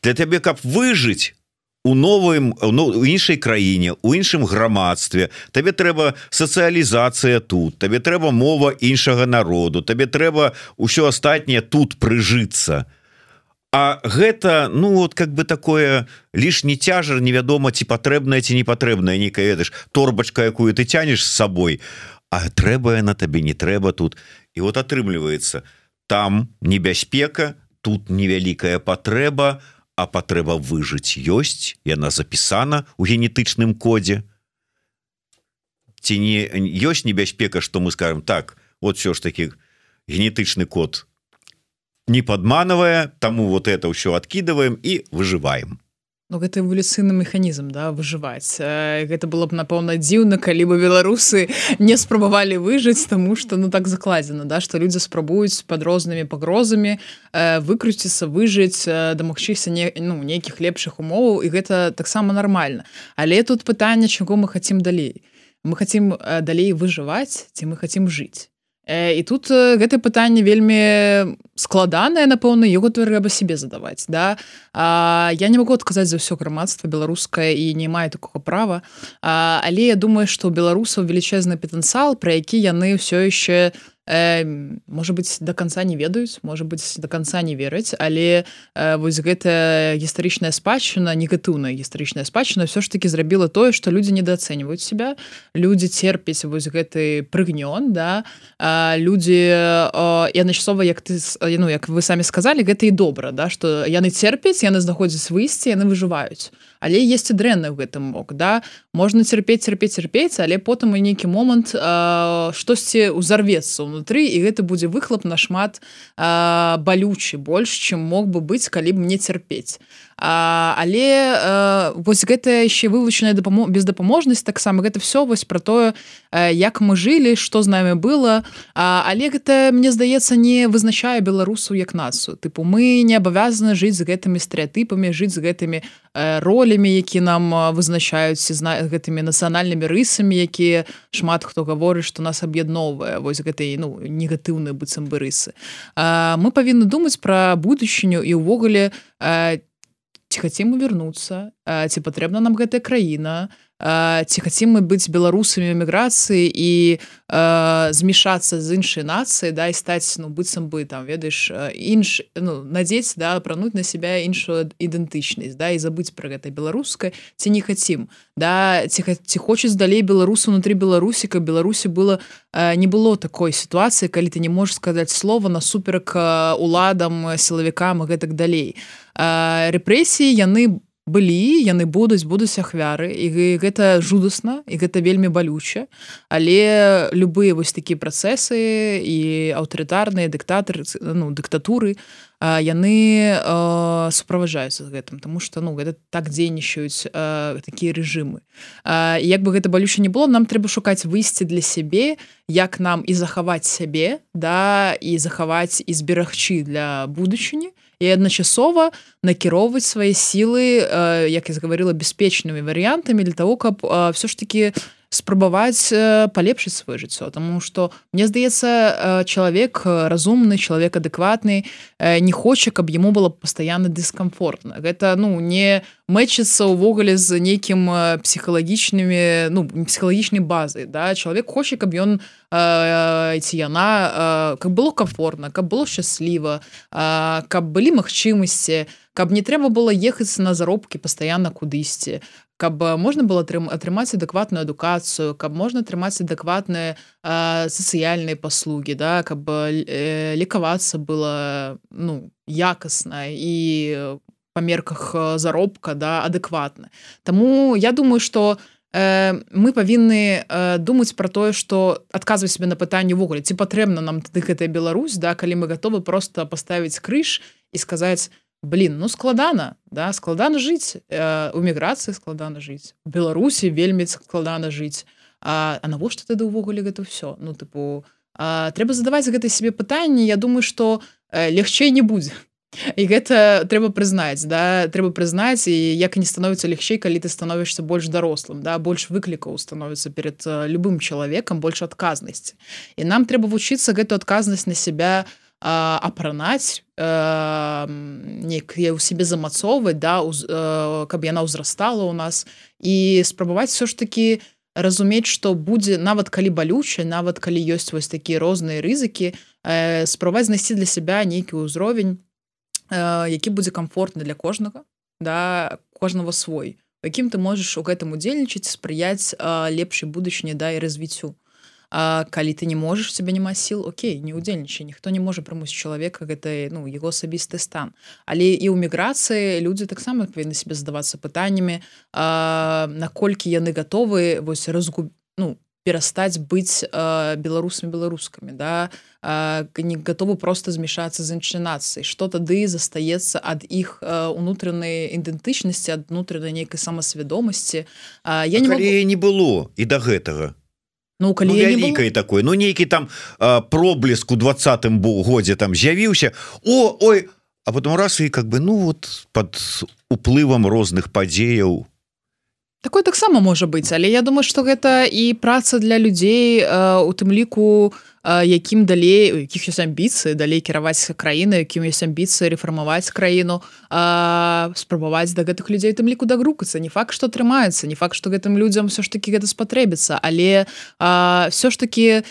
для табе, каб выжыць у новым, у іншай краіне, у іншым грамадстве, табе трэба сацыялізацыя тут, табе трэба мова іншага народу, табе трэба ўсё астатняе тут прыжыцца. А гэта, ну, вот как бы такое лішні цяжар, невядома, ці патрэбнае, ці не патрэбнае, нейкая, ведаеш, торбачка, якую ты цянеш з сабой, а трэба яна табе, не трэба тут. І вот атрымліваецца, там небяспека, тут невялікая патрэба, а патрэба выжыць ёсць, яна запісана ў генетычным кодзе. Ці не ёсць небяспека, што мы скажем, так, вот все ж таки генетычны код не падманавае, таму вот это ўсё адкідываем і выжываем. Ну, гэта эвалюцыйны механізм, да, выжываць. Гэта было б, напэўна, дзіўна, калі бы беларусы не спрабавалі выжыць, таму што, ну, так закладзена, да, што людзі спрабуюць пад рознымі пагрозамі выкруціцца, выжыць, дамагчыся нейкіх лепшых умоваў, і гэта таксама нармальна. Але тут пытанне, чаго мы хацім далей. Мы хацім далей выжываць, ці мы хацім жыць. І тут гэтае пытанне вельмі складанае, напэўна, яго трэба себе задаваць, да? Я не магу адказаць за ўсё грамадства беларускае і не маю такога права, але я думаю, што ў беларусаў велічэзны патэнцыял, пра які яны ўсё яшчэ, можа быць, до конца не ведаюць, можа быць, до конца не вераць, але вось гэтая гістарычная спадчына, негатыўная гістарычная спадчына ўсё ж таки зрабіла тое, што людзі недаацэньваюць себя, людзі церпяць вось гэты прыгнён, да, людзі і адначасова, як вы самі сказалі, гэта і добра, да, што яны церпяць, яны знаходзяць выйсце, яны выжываюць. Але есть і дрэнна ў гэтым бок, да, можна церпець, але потым у нейкі момант штосьці ўзарвецца ўнутры, і гэта будзе выхлап нашмат балючы, больш, чым мог бы быць, калі б не церпець. Але вось гэта яшчэ вывучаная бездапаможнасць, таксама гэта все вось пра тое, як мы жылі, што з намі было, але гэта, мне здаецца, не вызначае беларусаў як нацыю. Тыпу, мы не абавязаны жыць з гэтымі стэрэатыпамі, жыць з гэтымі ролямі, які нам вызначаюць, з гэтымі нацыянальнымі рысамі, якія шмат хто гаворыць, што нас аб'ядноўвае, вось гэтай, ну, негатыўныя быццам бы рысы. Мы павінны думаць пра будучыню і ўвогуле, ці хацім мы вярнуцца, ці патрэбна нам гэтая краіна, ці хацім мы быць беларусамі ў эміграцыі і змешацца з іншай нацыяй, да, і стаць, ну, быццам бы, там, ведаеш, надзець, да, апрануць на сябе іншую ідэнтычнасць, да, і забыць пра гэта беларускае, ці не хацім, да, ці хочуць далей беларусу ўнутры Беларусі, каб Беларусі не было такой сітуацыі, калі ты не можаш сказаць слова насуперак уладам, сілавікам і гэтак далей. Рэпрэсіі, яны былі, яны будуць ахвяры, і гэта жудасна, і гэта вельмі балюча, але любыя вось такія працэсы і аўтарытарныя дыктатуры, яны суправаджаюцца з гэтым, тому што гэта так дзейнічаюць такія рэжымы. Як бы гэта балюча не было, нам трэба шукаць выйсце для сябе, як нам і захаваць сябе, і захаваць і зберагчы для будучыні, і адначасова накіроўваць свае сілы, як я гаварыла, бяспечнымі варыянтамі для того, каб все ж таки спрабаваць палепшыць сваё жыццё. Таму што, мне здаецца, чалавек разумны, чалавек адэкватны не хоча, каб яму было пастаянна дыскамфортна. Гэта не мэчыцца ўвогуле з нейкім псіхалагічнай базай. Чалавек хоча, каб ён ці яна, каб было комфортна, каб было шчасліва, каб былі магчымасці, каб не трэба было ехаць на заробкі пастаянна кудысьці, каб можна было атрымаць адэкватную адукацыю, каб можна атрымаць адэкватныя сацыяльныя паслугі, каб лекавацца было якасна і па мерках заробка адэкватна. Таму я думаю, што мы павінны думаць пра тое, што адказваць себе на пытанне ўвогуле, ці патрэбна нам тады гэтая Беларусь, калі мы гатовы проста паставіць крыж і сказаць: складана, складана жыць, у міграцыі складана жыць, у Беларусі вельмі складана жыць. А навошта тады ўвогуле гэта ўсё? Трэба задаваць гэтае сябе пытанне, я думаю, што лягчэй не будзе. І гэта трэба прызнаць, трэба прызнаць, і як не становіцца лягчэй, калі ты становішся больш дарослым, больш выклікаў становіцца перад любым чалавекам, больш адказнасці. І нам трэба вучыцца гэту адказнасць на сябе апранаць, ў сябе замацоўваць, каб яна ўзрастала ў нас, і спрабаваць все ж такі разумець, што будзе, нават калі балюча, нават калі ёсць вось такія розныя рызыкі, спрабаваць знайсці для сябе нейкі ўзровень, які будзе комфортны для кожнага, кожнага свой, у якім ты можаш у гэтым удзельнічаць, спрыяць лепшай будучыні і развіццю. Калі ты не можаш, у цябе няма сіл, окей, не удзельнічай, ніхто не можа прымусіць чалавека, гэта яго асабісты стан. Але і ў міграцыі людзі таксама павінны себе задавацца пытаннямі, наколькі яны гатовы перастаць быць беларусамі-беларускамі, не гатовы проста змешацца з іншай нацыяй. Што тады застаецца ад іх унутранай ідэнтычнасці, ад унутранай нейкай самасвядомасці. Калі не было і да гэтага? Вялікай такой, нейкі там проблеск у 20-м годзе там з'явіўся, а потом раз і пад уплывам розных падзеяў. Такое таксама можа быць, але я думаю, што гэта і праца для людзей, у тым ліку, якім далей, у якіх ёсць амбіцыі далей кіраваць краіну, якім ёсць амбіцыі рэфармаваць краіну, спрабаваць да гэтых людзей у тым ліку дагрукацца. Не факт, што атрымаецца, не факт, што гэтым людзям ўсё ж такі гэта спатрэбіцца, але ўсё ж такі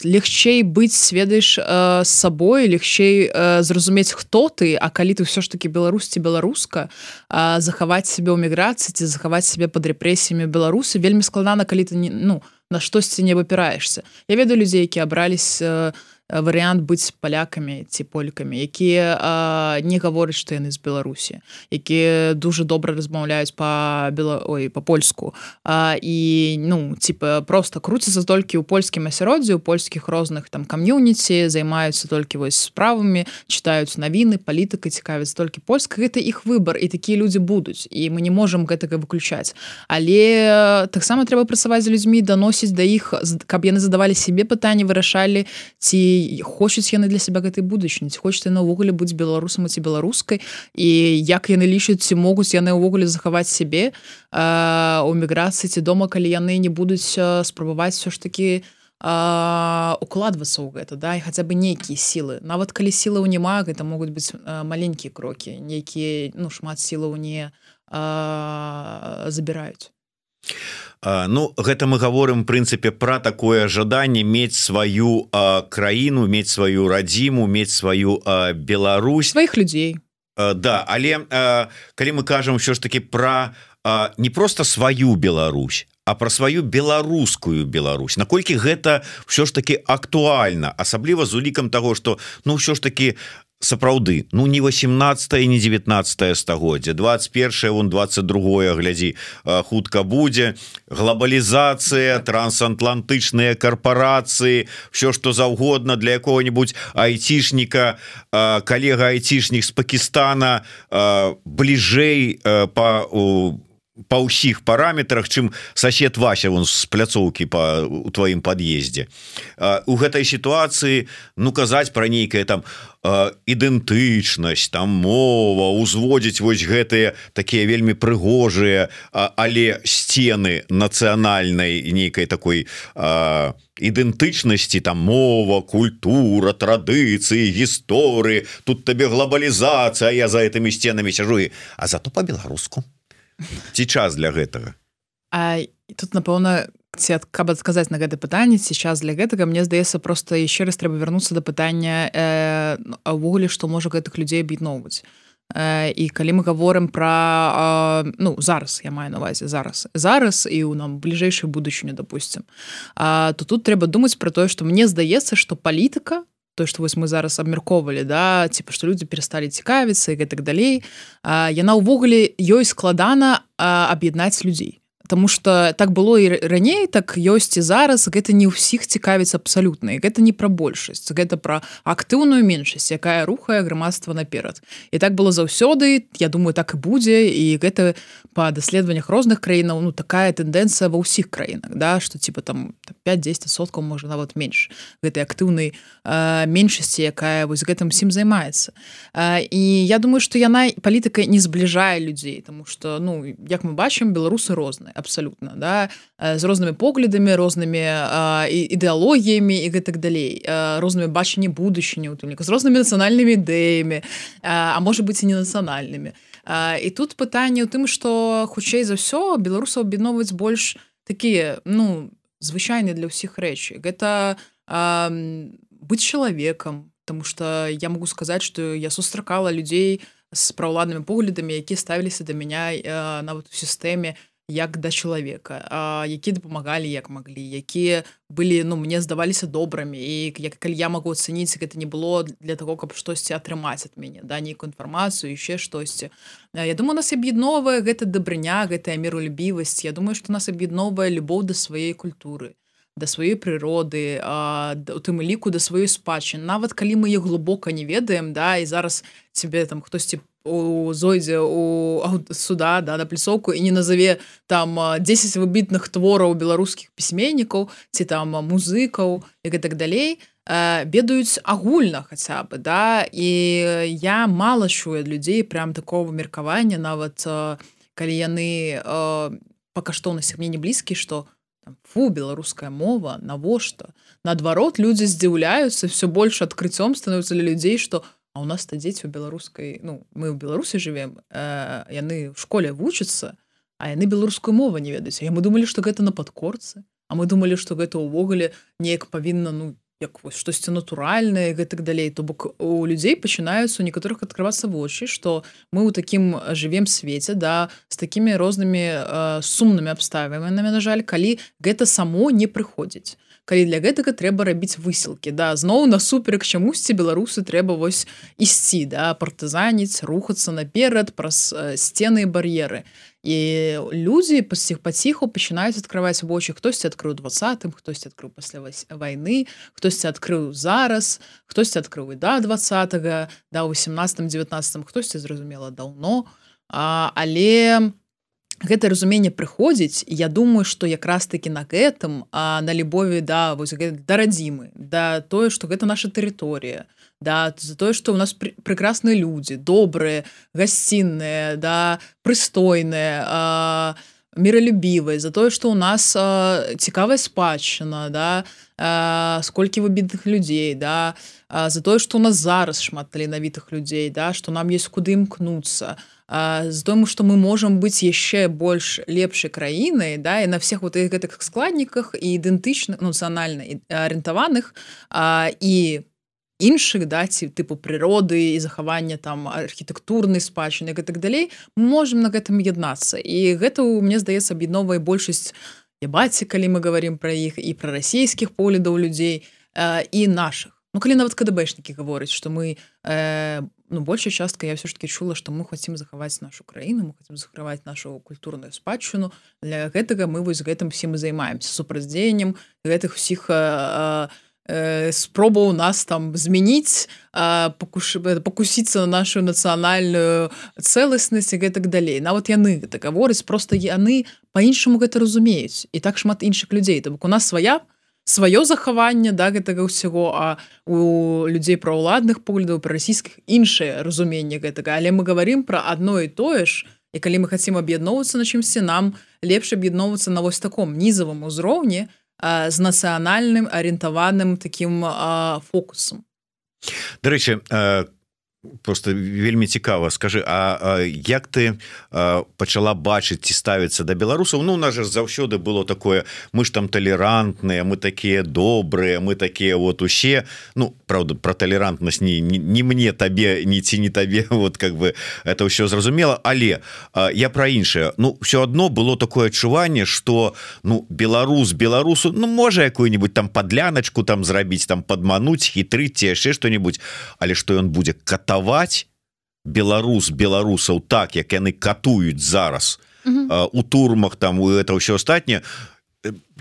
лягчэй быць, ведаеш, з сабой, лягчэй зразумець, хто ты, а калі ты ўсё ж такі беларус ці беларуска, захаваць сябе ў міграцыі ці захаваць сябе пад рэпрэсіямі Беларусі вельмі складана, калі ты на штосьці не выбіраешся. Я ведаю людзей, які абраліся варыянт быць палякамі ці полькамі, якія не гавораць, што яны з Беларусі, якія дуже добра размаўляюць па-польску, і проста круцяцца толькі ў польскім асяроддзі, у польскіх розных там кам'юніці, займаюцца толькі вось справамі, чытаюць навіны, палітыкай, цікавяцца толькі польскай. Гэта іх выбар, і такія людзі будуць, і мы не можам гэтага выключаць. Але таксама трэба працаваць з людзьмі, даносіць да іх, каб яны задавалі сябе пытанні, вырашалі, ці хочуць яны для сябе гэтай будучыні, ці хочуць яны ўвогуле быць беларусам ці беларускай, і як яны лічаць, ці могуць яны ўвогуле захаваць сябе у міграцыі ці дома, калі яны не будуць спрабаваць все ж такі укладвацца ў гэта, і хаця бы нейкія сілы. Нават калі сілаў няма, гэта могуць быць маленькія крокі, нейкія, шмат сілаў не забіраюць. Гэта мы гаворым, в прынцыпе, пра такое жаданне мець сваю краіну, мець сваю радзіму, мець сваю Беларусь. Сваіх людзей. Але калі мы кажам ўсё ж такі пра не проста сваю Беларусь, а пра сваю беларускую Беларусь, наколькі гэта ўсё ж такі актуальна, асабліва з улікам таго, што ўсё ж такі сапраўды, ну не 18 не 19 стагоддзе, 21 вон 22 глядзі, хутка будзе глобалізацыя, трансатлантычныя карпорацыі, все что заўгодна для якого-нибудь айцішніка, калега айцішнік з Пакистана бліжэй па ўсіх параметрах, чым сосед Вася вон з пляцоўкі у тваім пад'ездзе. У гэтай сітуацыі ну казаць пра нейкае там ідэнтычнасць, там мова, узводзіць вось гэтыя такія вельмі прыгожыя, але сцены нацыянальнай нейкай такой ідэнтычнасці, там мова, культура, традыцыі, гісторыі, тут табе глобалізацыя, я за гэтымі сценамі сяжу, а зато па-беларуску. Ці час для гэтага? Тут, напэўна, каб адказаць на гэта пытанне, ці час для гэтага, мне здаецца, проста яшчэ раз трэба вярнуцца да пытання увогуле, што можа гэтых людзей аб'ядноўваць. І калі мы гаворым пра ну, зараз, я маю на ўвазе зараз і ў нам бліжэйшую будучыню, допустим, то тут трэба думаць пра тое, што мне здаецца, што палітыка, то, што вось мы зараз абмяркоўвалі, да, типа, што людзі перасталі цікавіцца і гэтак далей, яна ўвогуле ёй складана аб'яднаць людзей. Таму што так было і раней, так ёсць і зараз, гэта не ўсіх цікавіць абсалютна, і гэта не пра большасць, гэта пра актыўную меншасць, якая рухае грамадства наперад. І так было заўсёды, я думаю, так і будзе, і гэта па даследаваннях розных краінаў, ну, такая тэндэнцыя ва ўсіх краінах, да, што типа там 5-10%, можа нават менш, гэтай актыўнай меншасці, якая вось гэтым усім займаецца. І я думаю, што яна, палітыка не збліжае людзей, таму што, ну, як мы бачым, беларусы розныя. Абсолютно, да, з рознымі поглядамі, рознымі ідэалогіямі і гэтак далей, рознымі бачанні будучыні, з рознымі нацыянальнымі ідэямі, а можа быць і не нацыянальнымі. І тут пытанне ў тым, што хутчэй за ўсё беларусаў аб'ядноўваюць больш такія, ну, звычайныя для ўсіх рэчы. Гэта быць чалавекам, тому што я могу сказаць, што я сустракала людзей з праўладнымі поглядамі, якія ставіліся да мяне нават у сістэме як да чалавека, якія дапамагалі як маглі, якія былі, ну, мне здаваліся добрымі, і калі я магу ацаніць, гэта не было для таго, каб штосьці атрымаць ад мяне, да, нейкую інфармацыю, яшчэ штосьці. Я думаю, нас аб'ядноўвае гэта дабрыня, гэтая міролюбівасць. Я думаю, што нас аб'ядноўвае любоў да сваёй культуры, да сваёй прыроды, у тым ліку да сваёй спадчыны. Нават калі мы іх глыбока не ведаем, да, і зараз цябе там хтосьці зойдзе у суда, да, на пляцоўку і не назаве там 10 выбітных твораў беларускіх пісьменнікаў ці там музыкаў і гэтак далей, ведаюць агульна хаця бы, да, і я мала чую ад людзей прям такого меркавання, нават калі яны па каштоўнасцях мне не блізкі, што фу, беларуская мова, навошта? Наадварот, людзі здзіўляюцца, все больш адкрыццём становіцца для людзей, што а у нас-то дзеці ў беларускай, ну, мы ў Беларусі жывем, яны ў школе вучацца, а яны беларускую мову не ведаюць. А мы думалі, што гэта на падкорцы, а мы думалі, што гэта ўвогуле неяк павінна, ну, як вось штосьці натуральнае і гэтак далей. То бок у людзей пачынаюцца у некаторых адкрывацца вочы, што мы ў такім жывем свеце, да, з такімі рознымі сумнымі абставінамі, на жаль, калі гэта само не прыходзіць. Калі для гэтага трэба рабіць высілкі, да, зноў насуперак чамусьці беларусы трэба вось ісці, да, партызаніць, рухацца наперад праз сцены і бар'еры. І людзі паціху пачынаюць адкрываць вочы. Хтосьці адкрыў 20-м, хтосьці адкрыў пасля вайны, хтосьці адкрыў зараз, хтосьці адкрыў і да 20-га, да 18-м, 19-м, хтосьці, зразумела, даўно. Але гэтае разуменне прыходзіць, і я думаю, што якраз такі на гэтым, на любові да, вось, да радзімы, да тое, што гэта наша тэрыторыя, да, за тое, што ў нас прекрасныя людзі, добрыя, гасцінныя, да, прыстойныя, міралюбівыя, за тое, што ў нас цікавая спадчына, да, сколькі выбітных людзей, да, за тое, што ў нас зараз шмат таленавітых людзей, да, што нам ёсць куды імкнуцца, з тым, што мы можам быць яшчэ больш лепшай краінай, да, і на всех вот гэтых складніках і ідэнтычных, нацыянальна арыентаваных і іншых, да, типу прыроды і захавання там архітэктурнай спадчыны і гэтак далей, мы можам на гэтым яднацца. І гэта, мне здаецца, аб'ядноўвае большасць ебаці, калі мы говорим пра іх, і пра расійскіх поглядаў людзей, і нашых. Ну, калі нават КДБшнікі гавораць, што мы большая частка я все ж таки чула, што мы хацім захаваць нашу краіну, мы хацім захаваць нашу культурную спадчыну. Для гэтага мы вось гэтым всім і займаемся супрацьдзеяннем гэтых усіх спробаў нас там змяніць, пакусіцца на нашу нацыянальную цэласнасць і гэтак далей. Нават яны гэта гавораць, просто яны па-іншаму гэта разумеюць. І так шмат іншых людзей. То бок у нас сваё захаванне да гэтага ўсяго, а у людзей праўладных поглядаў, прарасійскіх іншае разуменне гэтага. Але мы гаварым пра адно і тое ж, і калі мы хацім аб'ядноўвацца на чымсьці, нам лепш аб'ядноўвацца на вось таком нізавым узроўні з нацыянальным арыентаваным такім фокусам. Дарэчы, просто вельмі цікава, скажы, а як ты пачала бачыць ці ставіцца да беларусаў? Ну, у нас же заўсёды было такое, мы ж там талерантныя, мы такія добрыя, мы такія вот усе, ну, правда, про талерантнасць не мне, табе, ні ці не табе, вот как бы это ўсё зразумела, але я пра іншае. Ну, ўсё адно было такое адчуванне, што, ну, беларусу, ну, можа якую-нибудь там падляначку там зрабіць, там падмануць, хітрыць ці яшчэ што-нибудь, але што ён будзе катаваць беларусаў так, як яны катуюць зараз у турмах, там у это ўсё астатняе.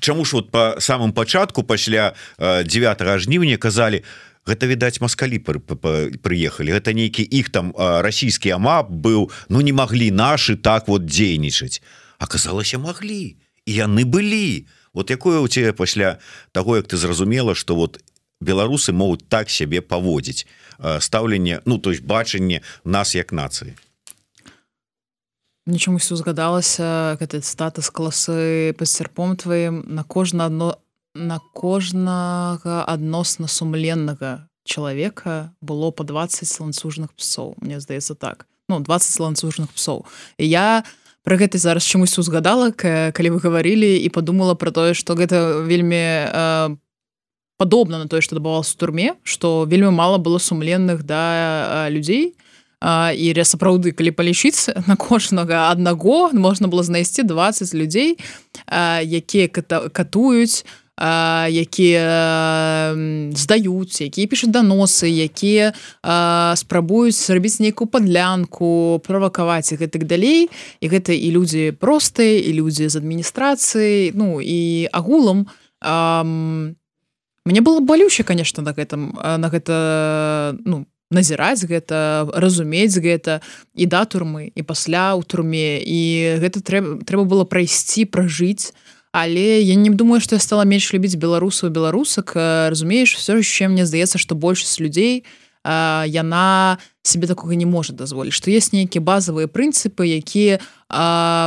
Чаму ж вот па самым пачатку пасля 9 жніўня казалі, гэта, відаць, маскалі прыехалі, гэта нейкі іх там расійскі амап быў, ну не маглі нашы так вот дзейнічаць. Аказалася, маглі, і яны былі. Вот якое у цябе пасля таго, як ты зразумела, што вот беларусы могуць так сябе паводзіць, стаўленне, ну, то есть бачанне нас як нацыі? Мне чамусь узгадалася гэта цытата з класы «Пад сярпом тваім» на кожнага адносна сумленнага чалавека было па 20 ланцужных псоў. Мне здаецца так. Ну, 20 ланцужных псоў. І я пра гэта зараз чамусь узгадала, калі вы гаварылі, і падумала пра тое, што гэта вельмі падобна на тое, што адбывалася ў турме, што вельмі мала было сумленных да людзей, і сапраўды, калі палічыць, на кожнага аднаго можна было знайсці 20 людзей, якія катуюць, якія здаюць, якія пішуць даносы, якія спрабуюць зрабіць нейкую падлянку, правакаваць і гэтак далей. І гэта і людзі простыя, і людзі з адміністрацыі, ну, і агулам мне было балюча, конечно, на гэта, ну, назіраць гэта, разумець гэта і да турмы, і пасля ў турме. І гэта трэба было прайсці, пражыць. Але я не думаю, што я стала менш любіць беларусаў і беларусак. Разумееш, все яшчэ мне здаецца, што большасць людзей яна себе такога не можа дазволіць, што ёсць нейкія базавыя прынцыпы, якія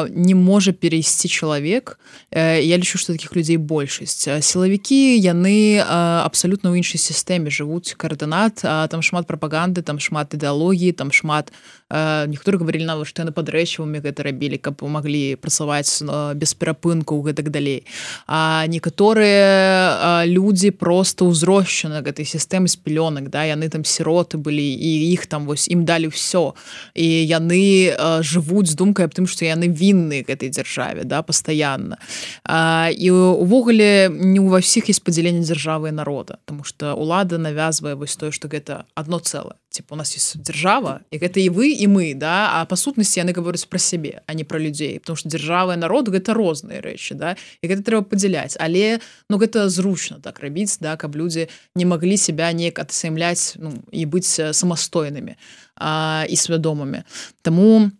не можа перайсці чалавек. Я лічу, што такіх людзей большасць. Сілавікі, яны абсалютна ў іншай сістэме жывуць, коордынат, там шмат прапаганды, там шмат ідэалогіі, там шмат, некаторыя гаварылі нават, што яны пад рэчывамі гэта рабілі, каб маглі працаваць без перапынкаў і гэтак далей. А некаторыя людзі проста ўзросшаны гэтай сістэмы з пялёнак, да, яны там сіроты былі, і іх там вось ім далі ўсё. І яны жывуць з думкай аб тым, што яны вінныя гэтай дзяржаве, да, пастаянна. І увогуле не ва ўсіх ёсць падзяленне дзяржавы і народа, таму што ўлада навязвае вось тое, што гэта адно цэлае. Типа, у нас есть дзяржава, і гэта і вы, і мы, да, а па сутнасці яны гавораць пра сябе, а не пра людзей, потому што дзяржава і народ гэта розныя рэчы, да, і гэта трэба падзяляць. Але, ну, гэта зручна так рабіць, да, каб людзі не маглі себя неяк адсаймляць, ну, і быць самастойнымі і свядомымі. Таму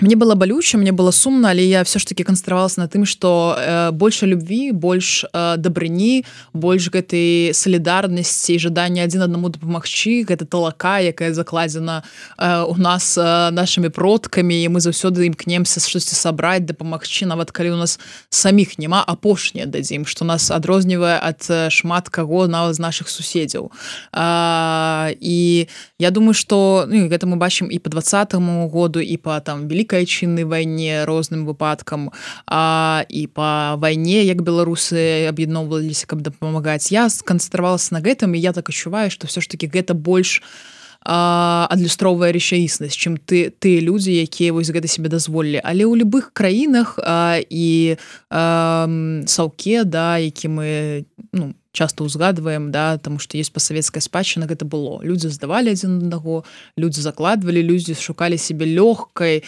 мне было балюча, мне было сумна, але я все ж таки канцэнтравалася на тым, што больш любві, больш дабрыні, больш гэтай салідарнасці і жадання адзін аднаму дапамагчы, гэта талака, якая закладзена у нас нашымі продкамі, і мы заўсёды імкнемся штосьці сабраць, дапамагчы, нават калі у нас саміх няма, апошняе дадзім, што нас адрознівае ад шмат каго, нават з нашых суседзяў. І я думаю, што гэта мы бачым і па 20-му году, і па там Великай Айчыннай вайне розным выпадкам, і па вайне, як беларусы аб'ядноўваліся, каб дапамагаць. Я сканцэнтравалася на гэтым, і я так адчуваю, што все ж таки гэта больш адлюстроўвае рэчаіснасць, чым тыя людзі, якія вось гэта себе дазволілі. Але ў любых краінах і саўке, да, які мы, ну, часто ўзгадваем, да, тому што ёсць пасавецкая спадчына, гэта было. Людзі здавалі адзін аднаго, людзі закладвалі, людзі шукалі сябе лёгкага,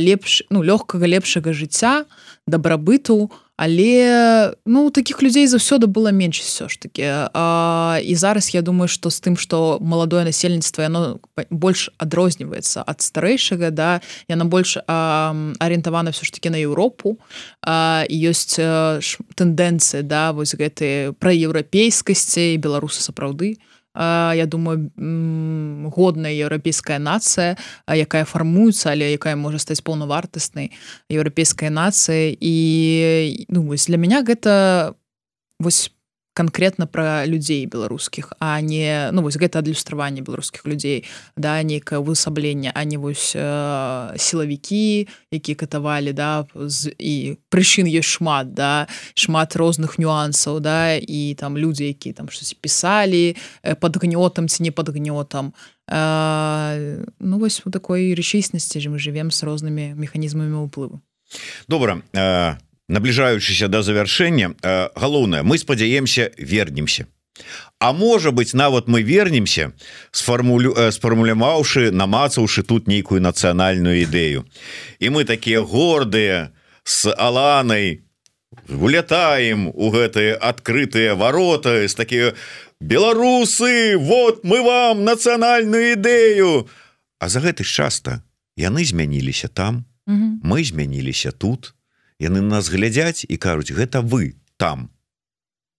лепшага жыцця, дабрабыту, але такіх людзей заўсёды было менш ўсё ж такі. І зараз я думаю, што з тым, што маладое насельніцтва яно больш адрозніваецца ад старэйшага, да, яно больш арыентавана ўсё ж такі на Еўропу, і ёсць тэндэнцыі, да, вось гэтыя праеўрапейскасці, і беларусы сапраўды, я думаю, годная еўрапейская нацыя, якая фармуецца, але якая можа стаць паўнавартаснай еўрапейскай нацыяй. І вось для мяне гэта вось канкрэтна пра людзей беларускіх, а не вось гэта адлюстраванне беларускіх людзей, да, нейкае увасабленне, а не вось сілавікі, якія катавалі, да, і прычын ёсць шмат, да, шмат розных нюансаў, да, і там людзі, якія там штось пісалі пад гнётам ці не пад гнётам. Вось у такой рэчаіснасці мы жывем з рознымі механізмамі ўплыву. Добра, набліжаючыся да завяршэння, галоўнае, мы спадзяемся, вернемся. А можа быць, нават мы вернемся, сфармуляваўшы, намацаўшы тут нейкую нацыянальную ідэю. І мы такія гордыя з Аланай улятаем у гэтыя адкрытыя вароты, з такія беларусы, вот мы вам нацыянальную ідэю. А за гэты час-то яны змяніліся там, мы змяніліся тут. Яны нас глядзяць і кажуць, гэта вы там,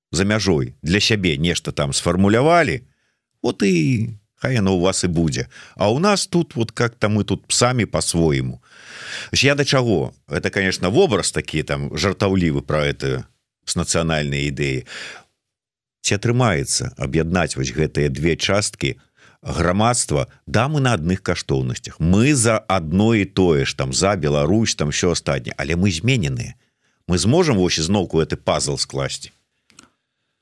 за мяжой, для сябе нешта там сфармулявалі, вот і хай яно у вас і будзе. А у нас тут, вот как-то мы тут самі по-свойму. Я да чаго? Это, конечно, вобраз такі там жартаўлівы пра это з нацыянальнай ідэі. Ці атрымаецца аб'яднаць вось гэтыя две часткі грамадства, да, мы на адных каштоўнасцях, мы за адно і тое ж, там, за Беларусь, там, ўсё астатняе, але мы змененыя. Мы зможам вось ізноўку гэты пазл скласці?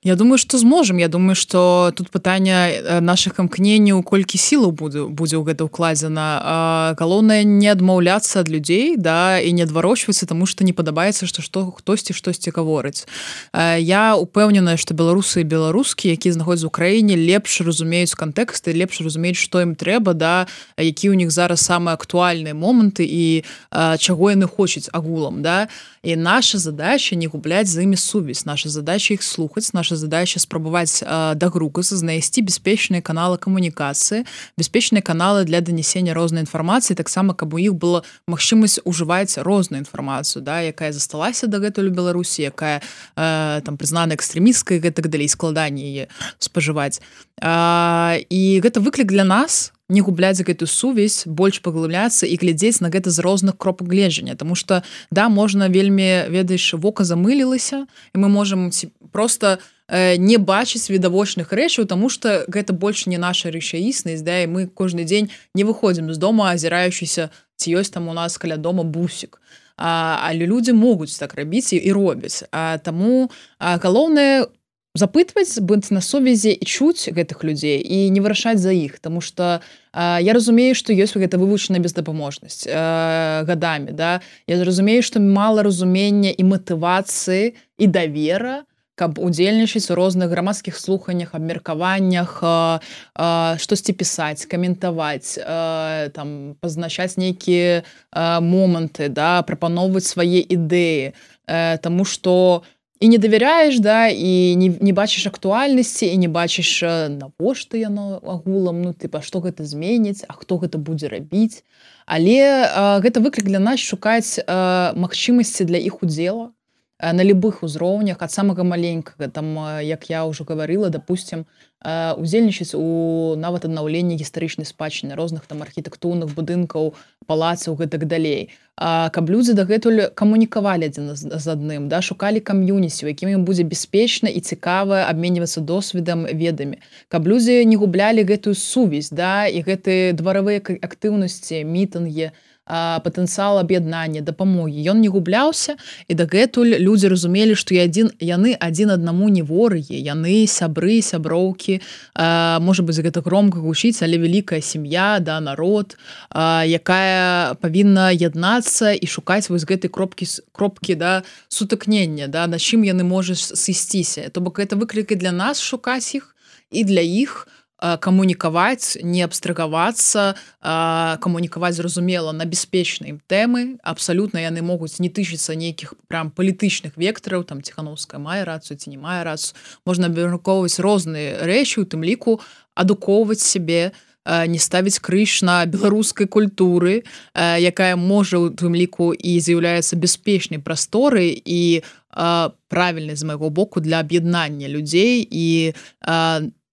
Я думаю, што зможам. Я думаю, што тут пытанне нашых імкненняў, колькі сілаў будзе ў гэта ўкладзена. Галоўнае не адмаўляцца ад людзей, да, і не адварочвацца, таму што не падабаецца, што хтосьці штосьці гаворыць. Я упэўненая, што беларусы і беларускі, якія знаходзяцца ў краіне, лепш разумеюць кантэксты, лепш разумеюць, што ім трэба, да, які ў них зараз самыя актуальныя моманты і чаго яны хочуць агулам, да. І наша задача не губляць з імі сувязь, наша задача іх слухаць, наша задача спрабаваць дагрукацца, знайсці бяспечныя каналы камунікацыі, бяспечныя каналы для данесення рознай інфармацыі, таксама, каб у іх была магчымасць ужываць розную інфармацыю, да, якая засталася дагэтуль у Беларусі, якая там прызнана экстрэмісткай, гэтак далей, складанне яе спажываць. І гэта выклік для нас не губляць гэтую сувязь, больш паглыбляцца і глядзець на гэта з розных кропак гледжання, таму што, да, можна вельмі, ведаеш, вока замылілася, і мы можам проста не бачыць відавочных рэчаў, таму што гэта больш не наша рэчаіснасць, да, і мы кожны дзень не выходзім з дома, азіраючыся, ці ёсць там у нас каля дома бусік. Але людзі могуць так рабіць і робяць. Таму галоўнае запытваць, быць на сувязі і чуць гэтых людзей і не вырашаць за іх, таму што я разумею, што ёсць гэта вывучаная бездапаможнасць гадамі, да? Я разумею, што мала разумення і матывацыі і давера, каб удзельнічаць у розных грамадскіх слуханнях, абмеркаваннях, штосьці пісаць, каментаваць, там, пазначаць нейкія моманты, да? Прапаноўваць свае ідэі, таму што і не давяряеш, да, і не бачыш актуальнасці, і не бачыш, навошта яно агулам, ну, тыпа, што гэта зменіць, а хто гэта будзе рабіць. Але гэта выклік для нас шукаць магчымасці для іх удзела на любых узроўнях, ад самага маленькага, там, як я ўжо гаварыла, допустим, удзельнічаць у нават аднаўленні гістарычнай спадчыны, розных там архітэктурных будынкаў, палацаў, гэтак далей. Каб людзі дагэтуль камунікавалі адзін з адным, да, шукалі кам'юніці, у якім ім будзе бяспечна і цікава абменьвацца досведам, ведамі. Каб людзі не гублялі гэтую сувязь, да, і гэтыя дваравыя актыўнасці, мітынгі, патэнцыял аб'яднання, дапамогі. Ён не губляўся, і дагэтуль людзі разумелі, што яны адзін аднаму не ворагі, яны сябры, сяброўкі, можа быць, гэта громка гучыць, але вялікая сям'я, да, народ, якая павінна яднацца і шукаць вось гэтай кропкі, да, сутыкнення, да, на чым яны можуць сысціся. То бок гэта выклікі для нас шукаць іх і для іх камунікаваць, не абстрагавацца, камунікаваць зразумела на бяспечнай тэмы. Абсалютна яны могуць не тычыцца нейкіх прям палітычных вектараў, там Ціханаўская мае рацыю ці не мае рацыю. Можна абмяркоўваць розныя рэчы, у тым ліку адукоўваць сябе, не ставіць крыж на беларускай культуры, якая можа у тым ліку і з'яўляецца бяспечнай прасторай і правільнай з майго боку для аб'яднання людзей і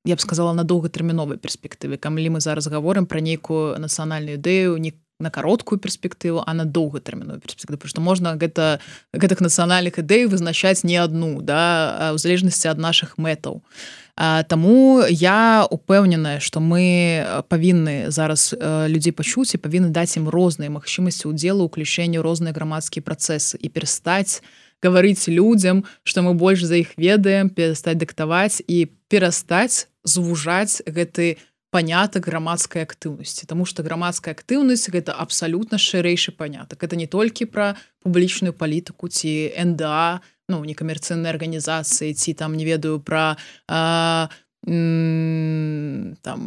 я б сказала, на доўгатэрміновай перспектыве. Калі мы зараз гаворым пра нейкую нацыянальную ідэю не на кароткую перспектыву, а на доўгатэрміновую перспектыву. Потому што можна гэтых нацыянальных ідэй вызначаць не адну, да, у залежнасці ад нашых мэтаў. Таму я упэўненая, што мы павінны зараз людзей пачуць і павінны даць ім розныя магчымасці ўдзелу, уключэння ў розныя грамадскія працэсы і перастаць гаварыць людзям, што мы больш за іх ведаем, перастаць дыктаваць і перастаць звужаць гэты панятак грамадскай актыўнасці. Таму што грамадская актыўнасць гэта абсалютна шырэйшы панятак. Гэта не толькі пра публічную палітыку ці НДА, ну, некамерцыйныя арганізацыі, ці там, не ведаю, пра там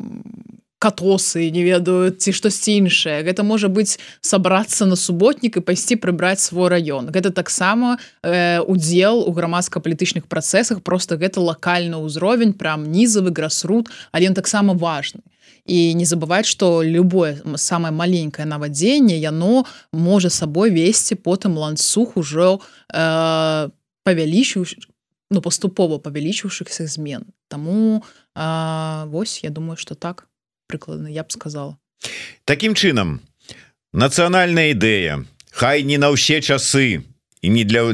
катосы, не ведаю, ці штосьці іншае. Гэта можа быць сабрацца на суботнік і пайсці прыбраць свой раён. Гэта таксама удзел у грамадска-палітычных працэсах, проста гэта лакальны ўзровень, прям нізавы грасрут, але ён таксама важны. І не забываць, што любое самае маленькае навадзенне, яно можа сабой весці потым ланцуг ужо паступова павялічыўшыхся змен. Таму вось, я думаю, што так прыкладна я б сказала. Такім чынам, нацыянальная ідэя, хай не на ўсе часы і не для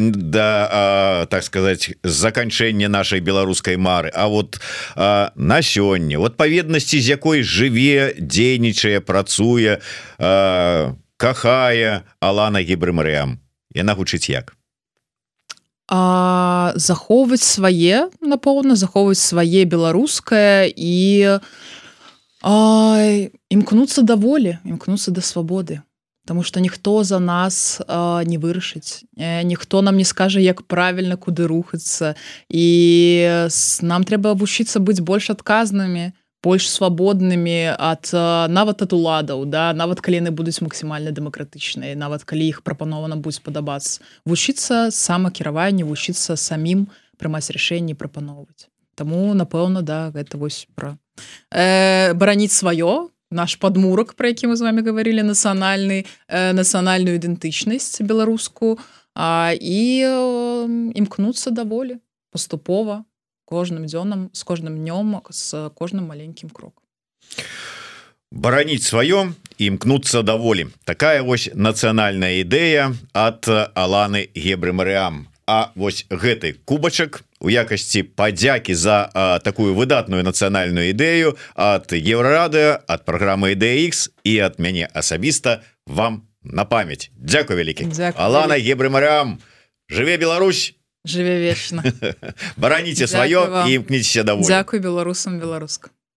так сказаць заканчэння нашай беларускай мары, а вот на сёння, у адпаведнасці з якой жыве, дзейнічае, працуе, кахае Алана Гебрэ-Марыям. Яна гучыць як? Захоўваць свае, напэўна, захоўваць свае беларускае і імкнуцца да волі, імкнуцца да свабоды. Таму што ніхто за нас не вырашыць, ніхто нам не скажа, як правільна, куды рухацца. І нам трэба вучыцца быць больш адказнымі, больш свабоднымі нават ад уладаў, да? Нават калі яны будуць максімальна дэмакратычныя, нават калі іх прапанова нам будзе падабацца. Вучыцца самакіраванню, вучыцца самім прымаць рашэнні, прапаноўваць. Таму, напэўна, да, гэта вось пра бараніць сваё, наш падмурак, пра які мы з вами гаварылі, нацыянальную ідэнтычнасць беларускую, і імкнуцца да волі паступова, кожным дзёнам, з кожным днём, з кожным маленькім крокам. Бараніць сваё і імкнуцца да волі. Такая вось нацыянальная ідэя ад Аланы Гебрэ-Марыям. А вось гэты кубачак у якасці падзякі за такую выдатную нацыянальную ідэю ад Еўрарадыё, ад праграмы IDEA-X і ад мяне асабіста вам на памяць. Дзякуй вялікі. Алана Гебрэ-Марыям, жыве Беларусь! Жыве вечна. Бараніце сваё і імкніцеся да волі. Дзякуй беларусам, беларуска.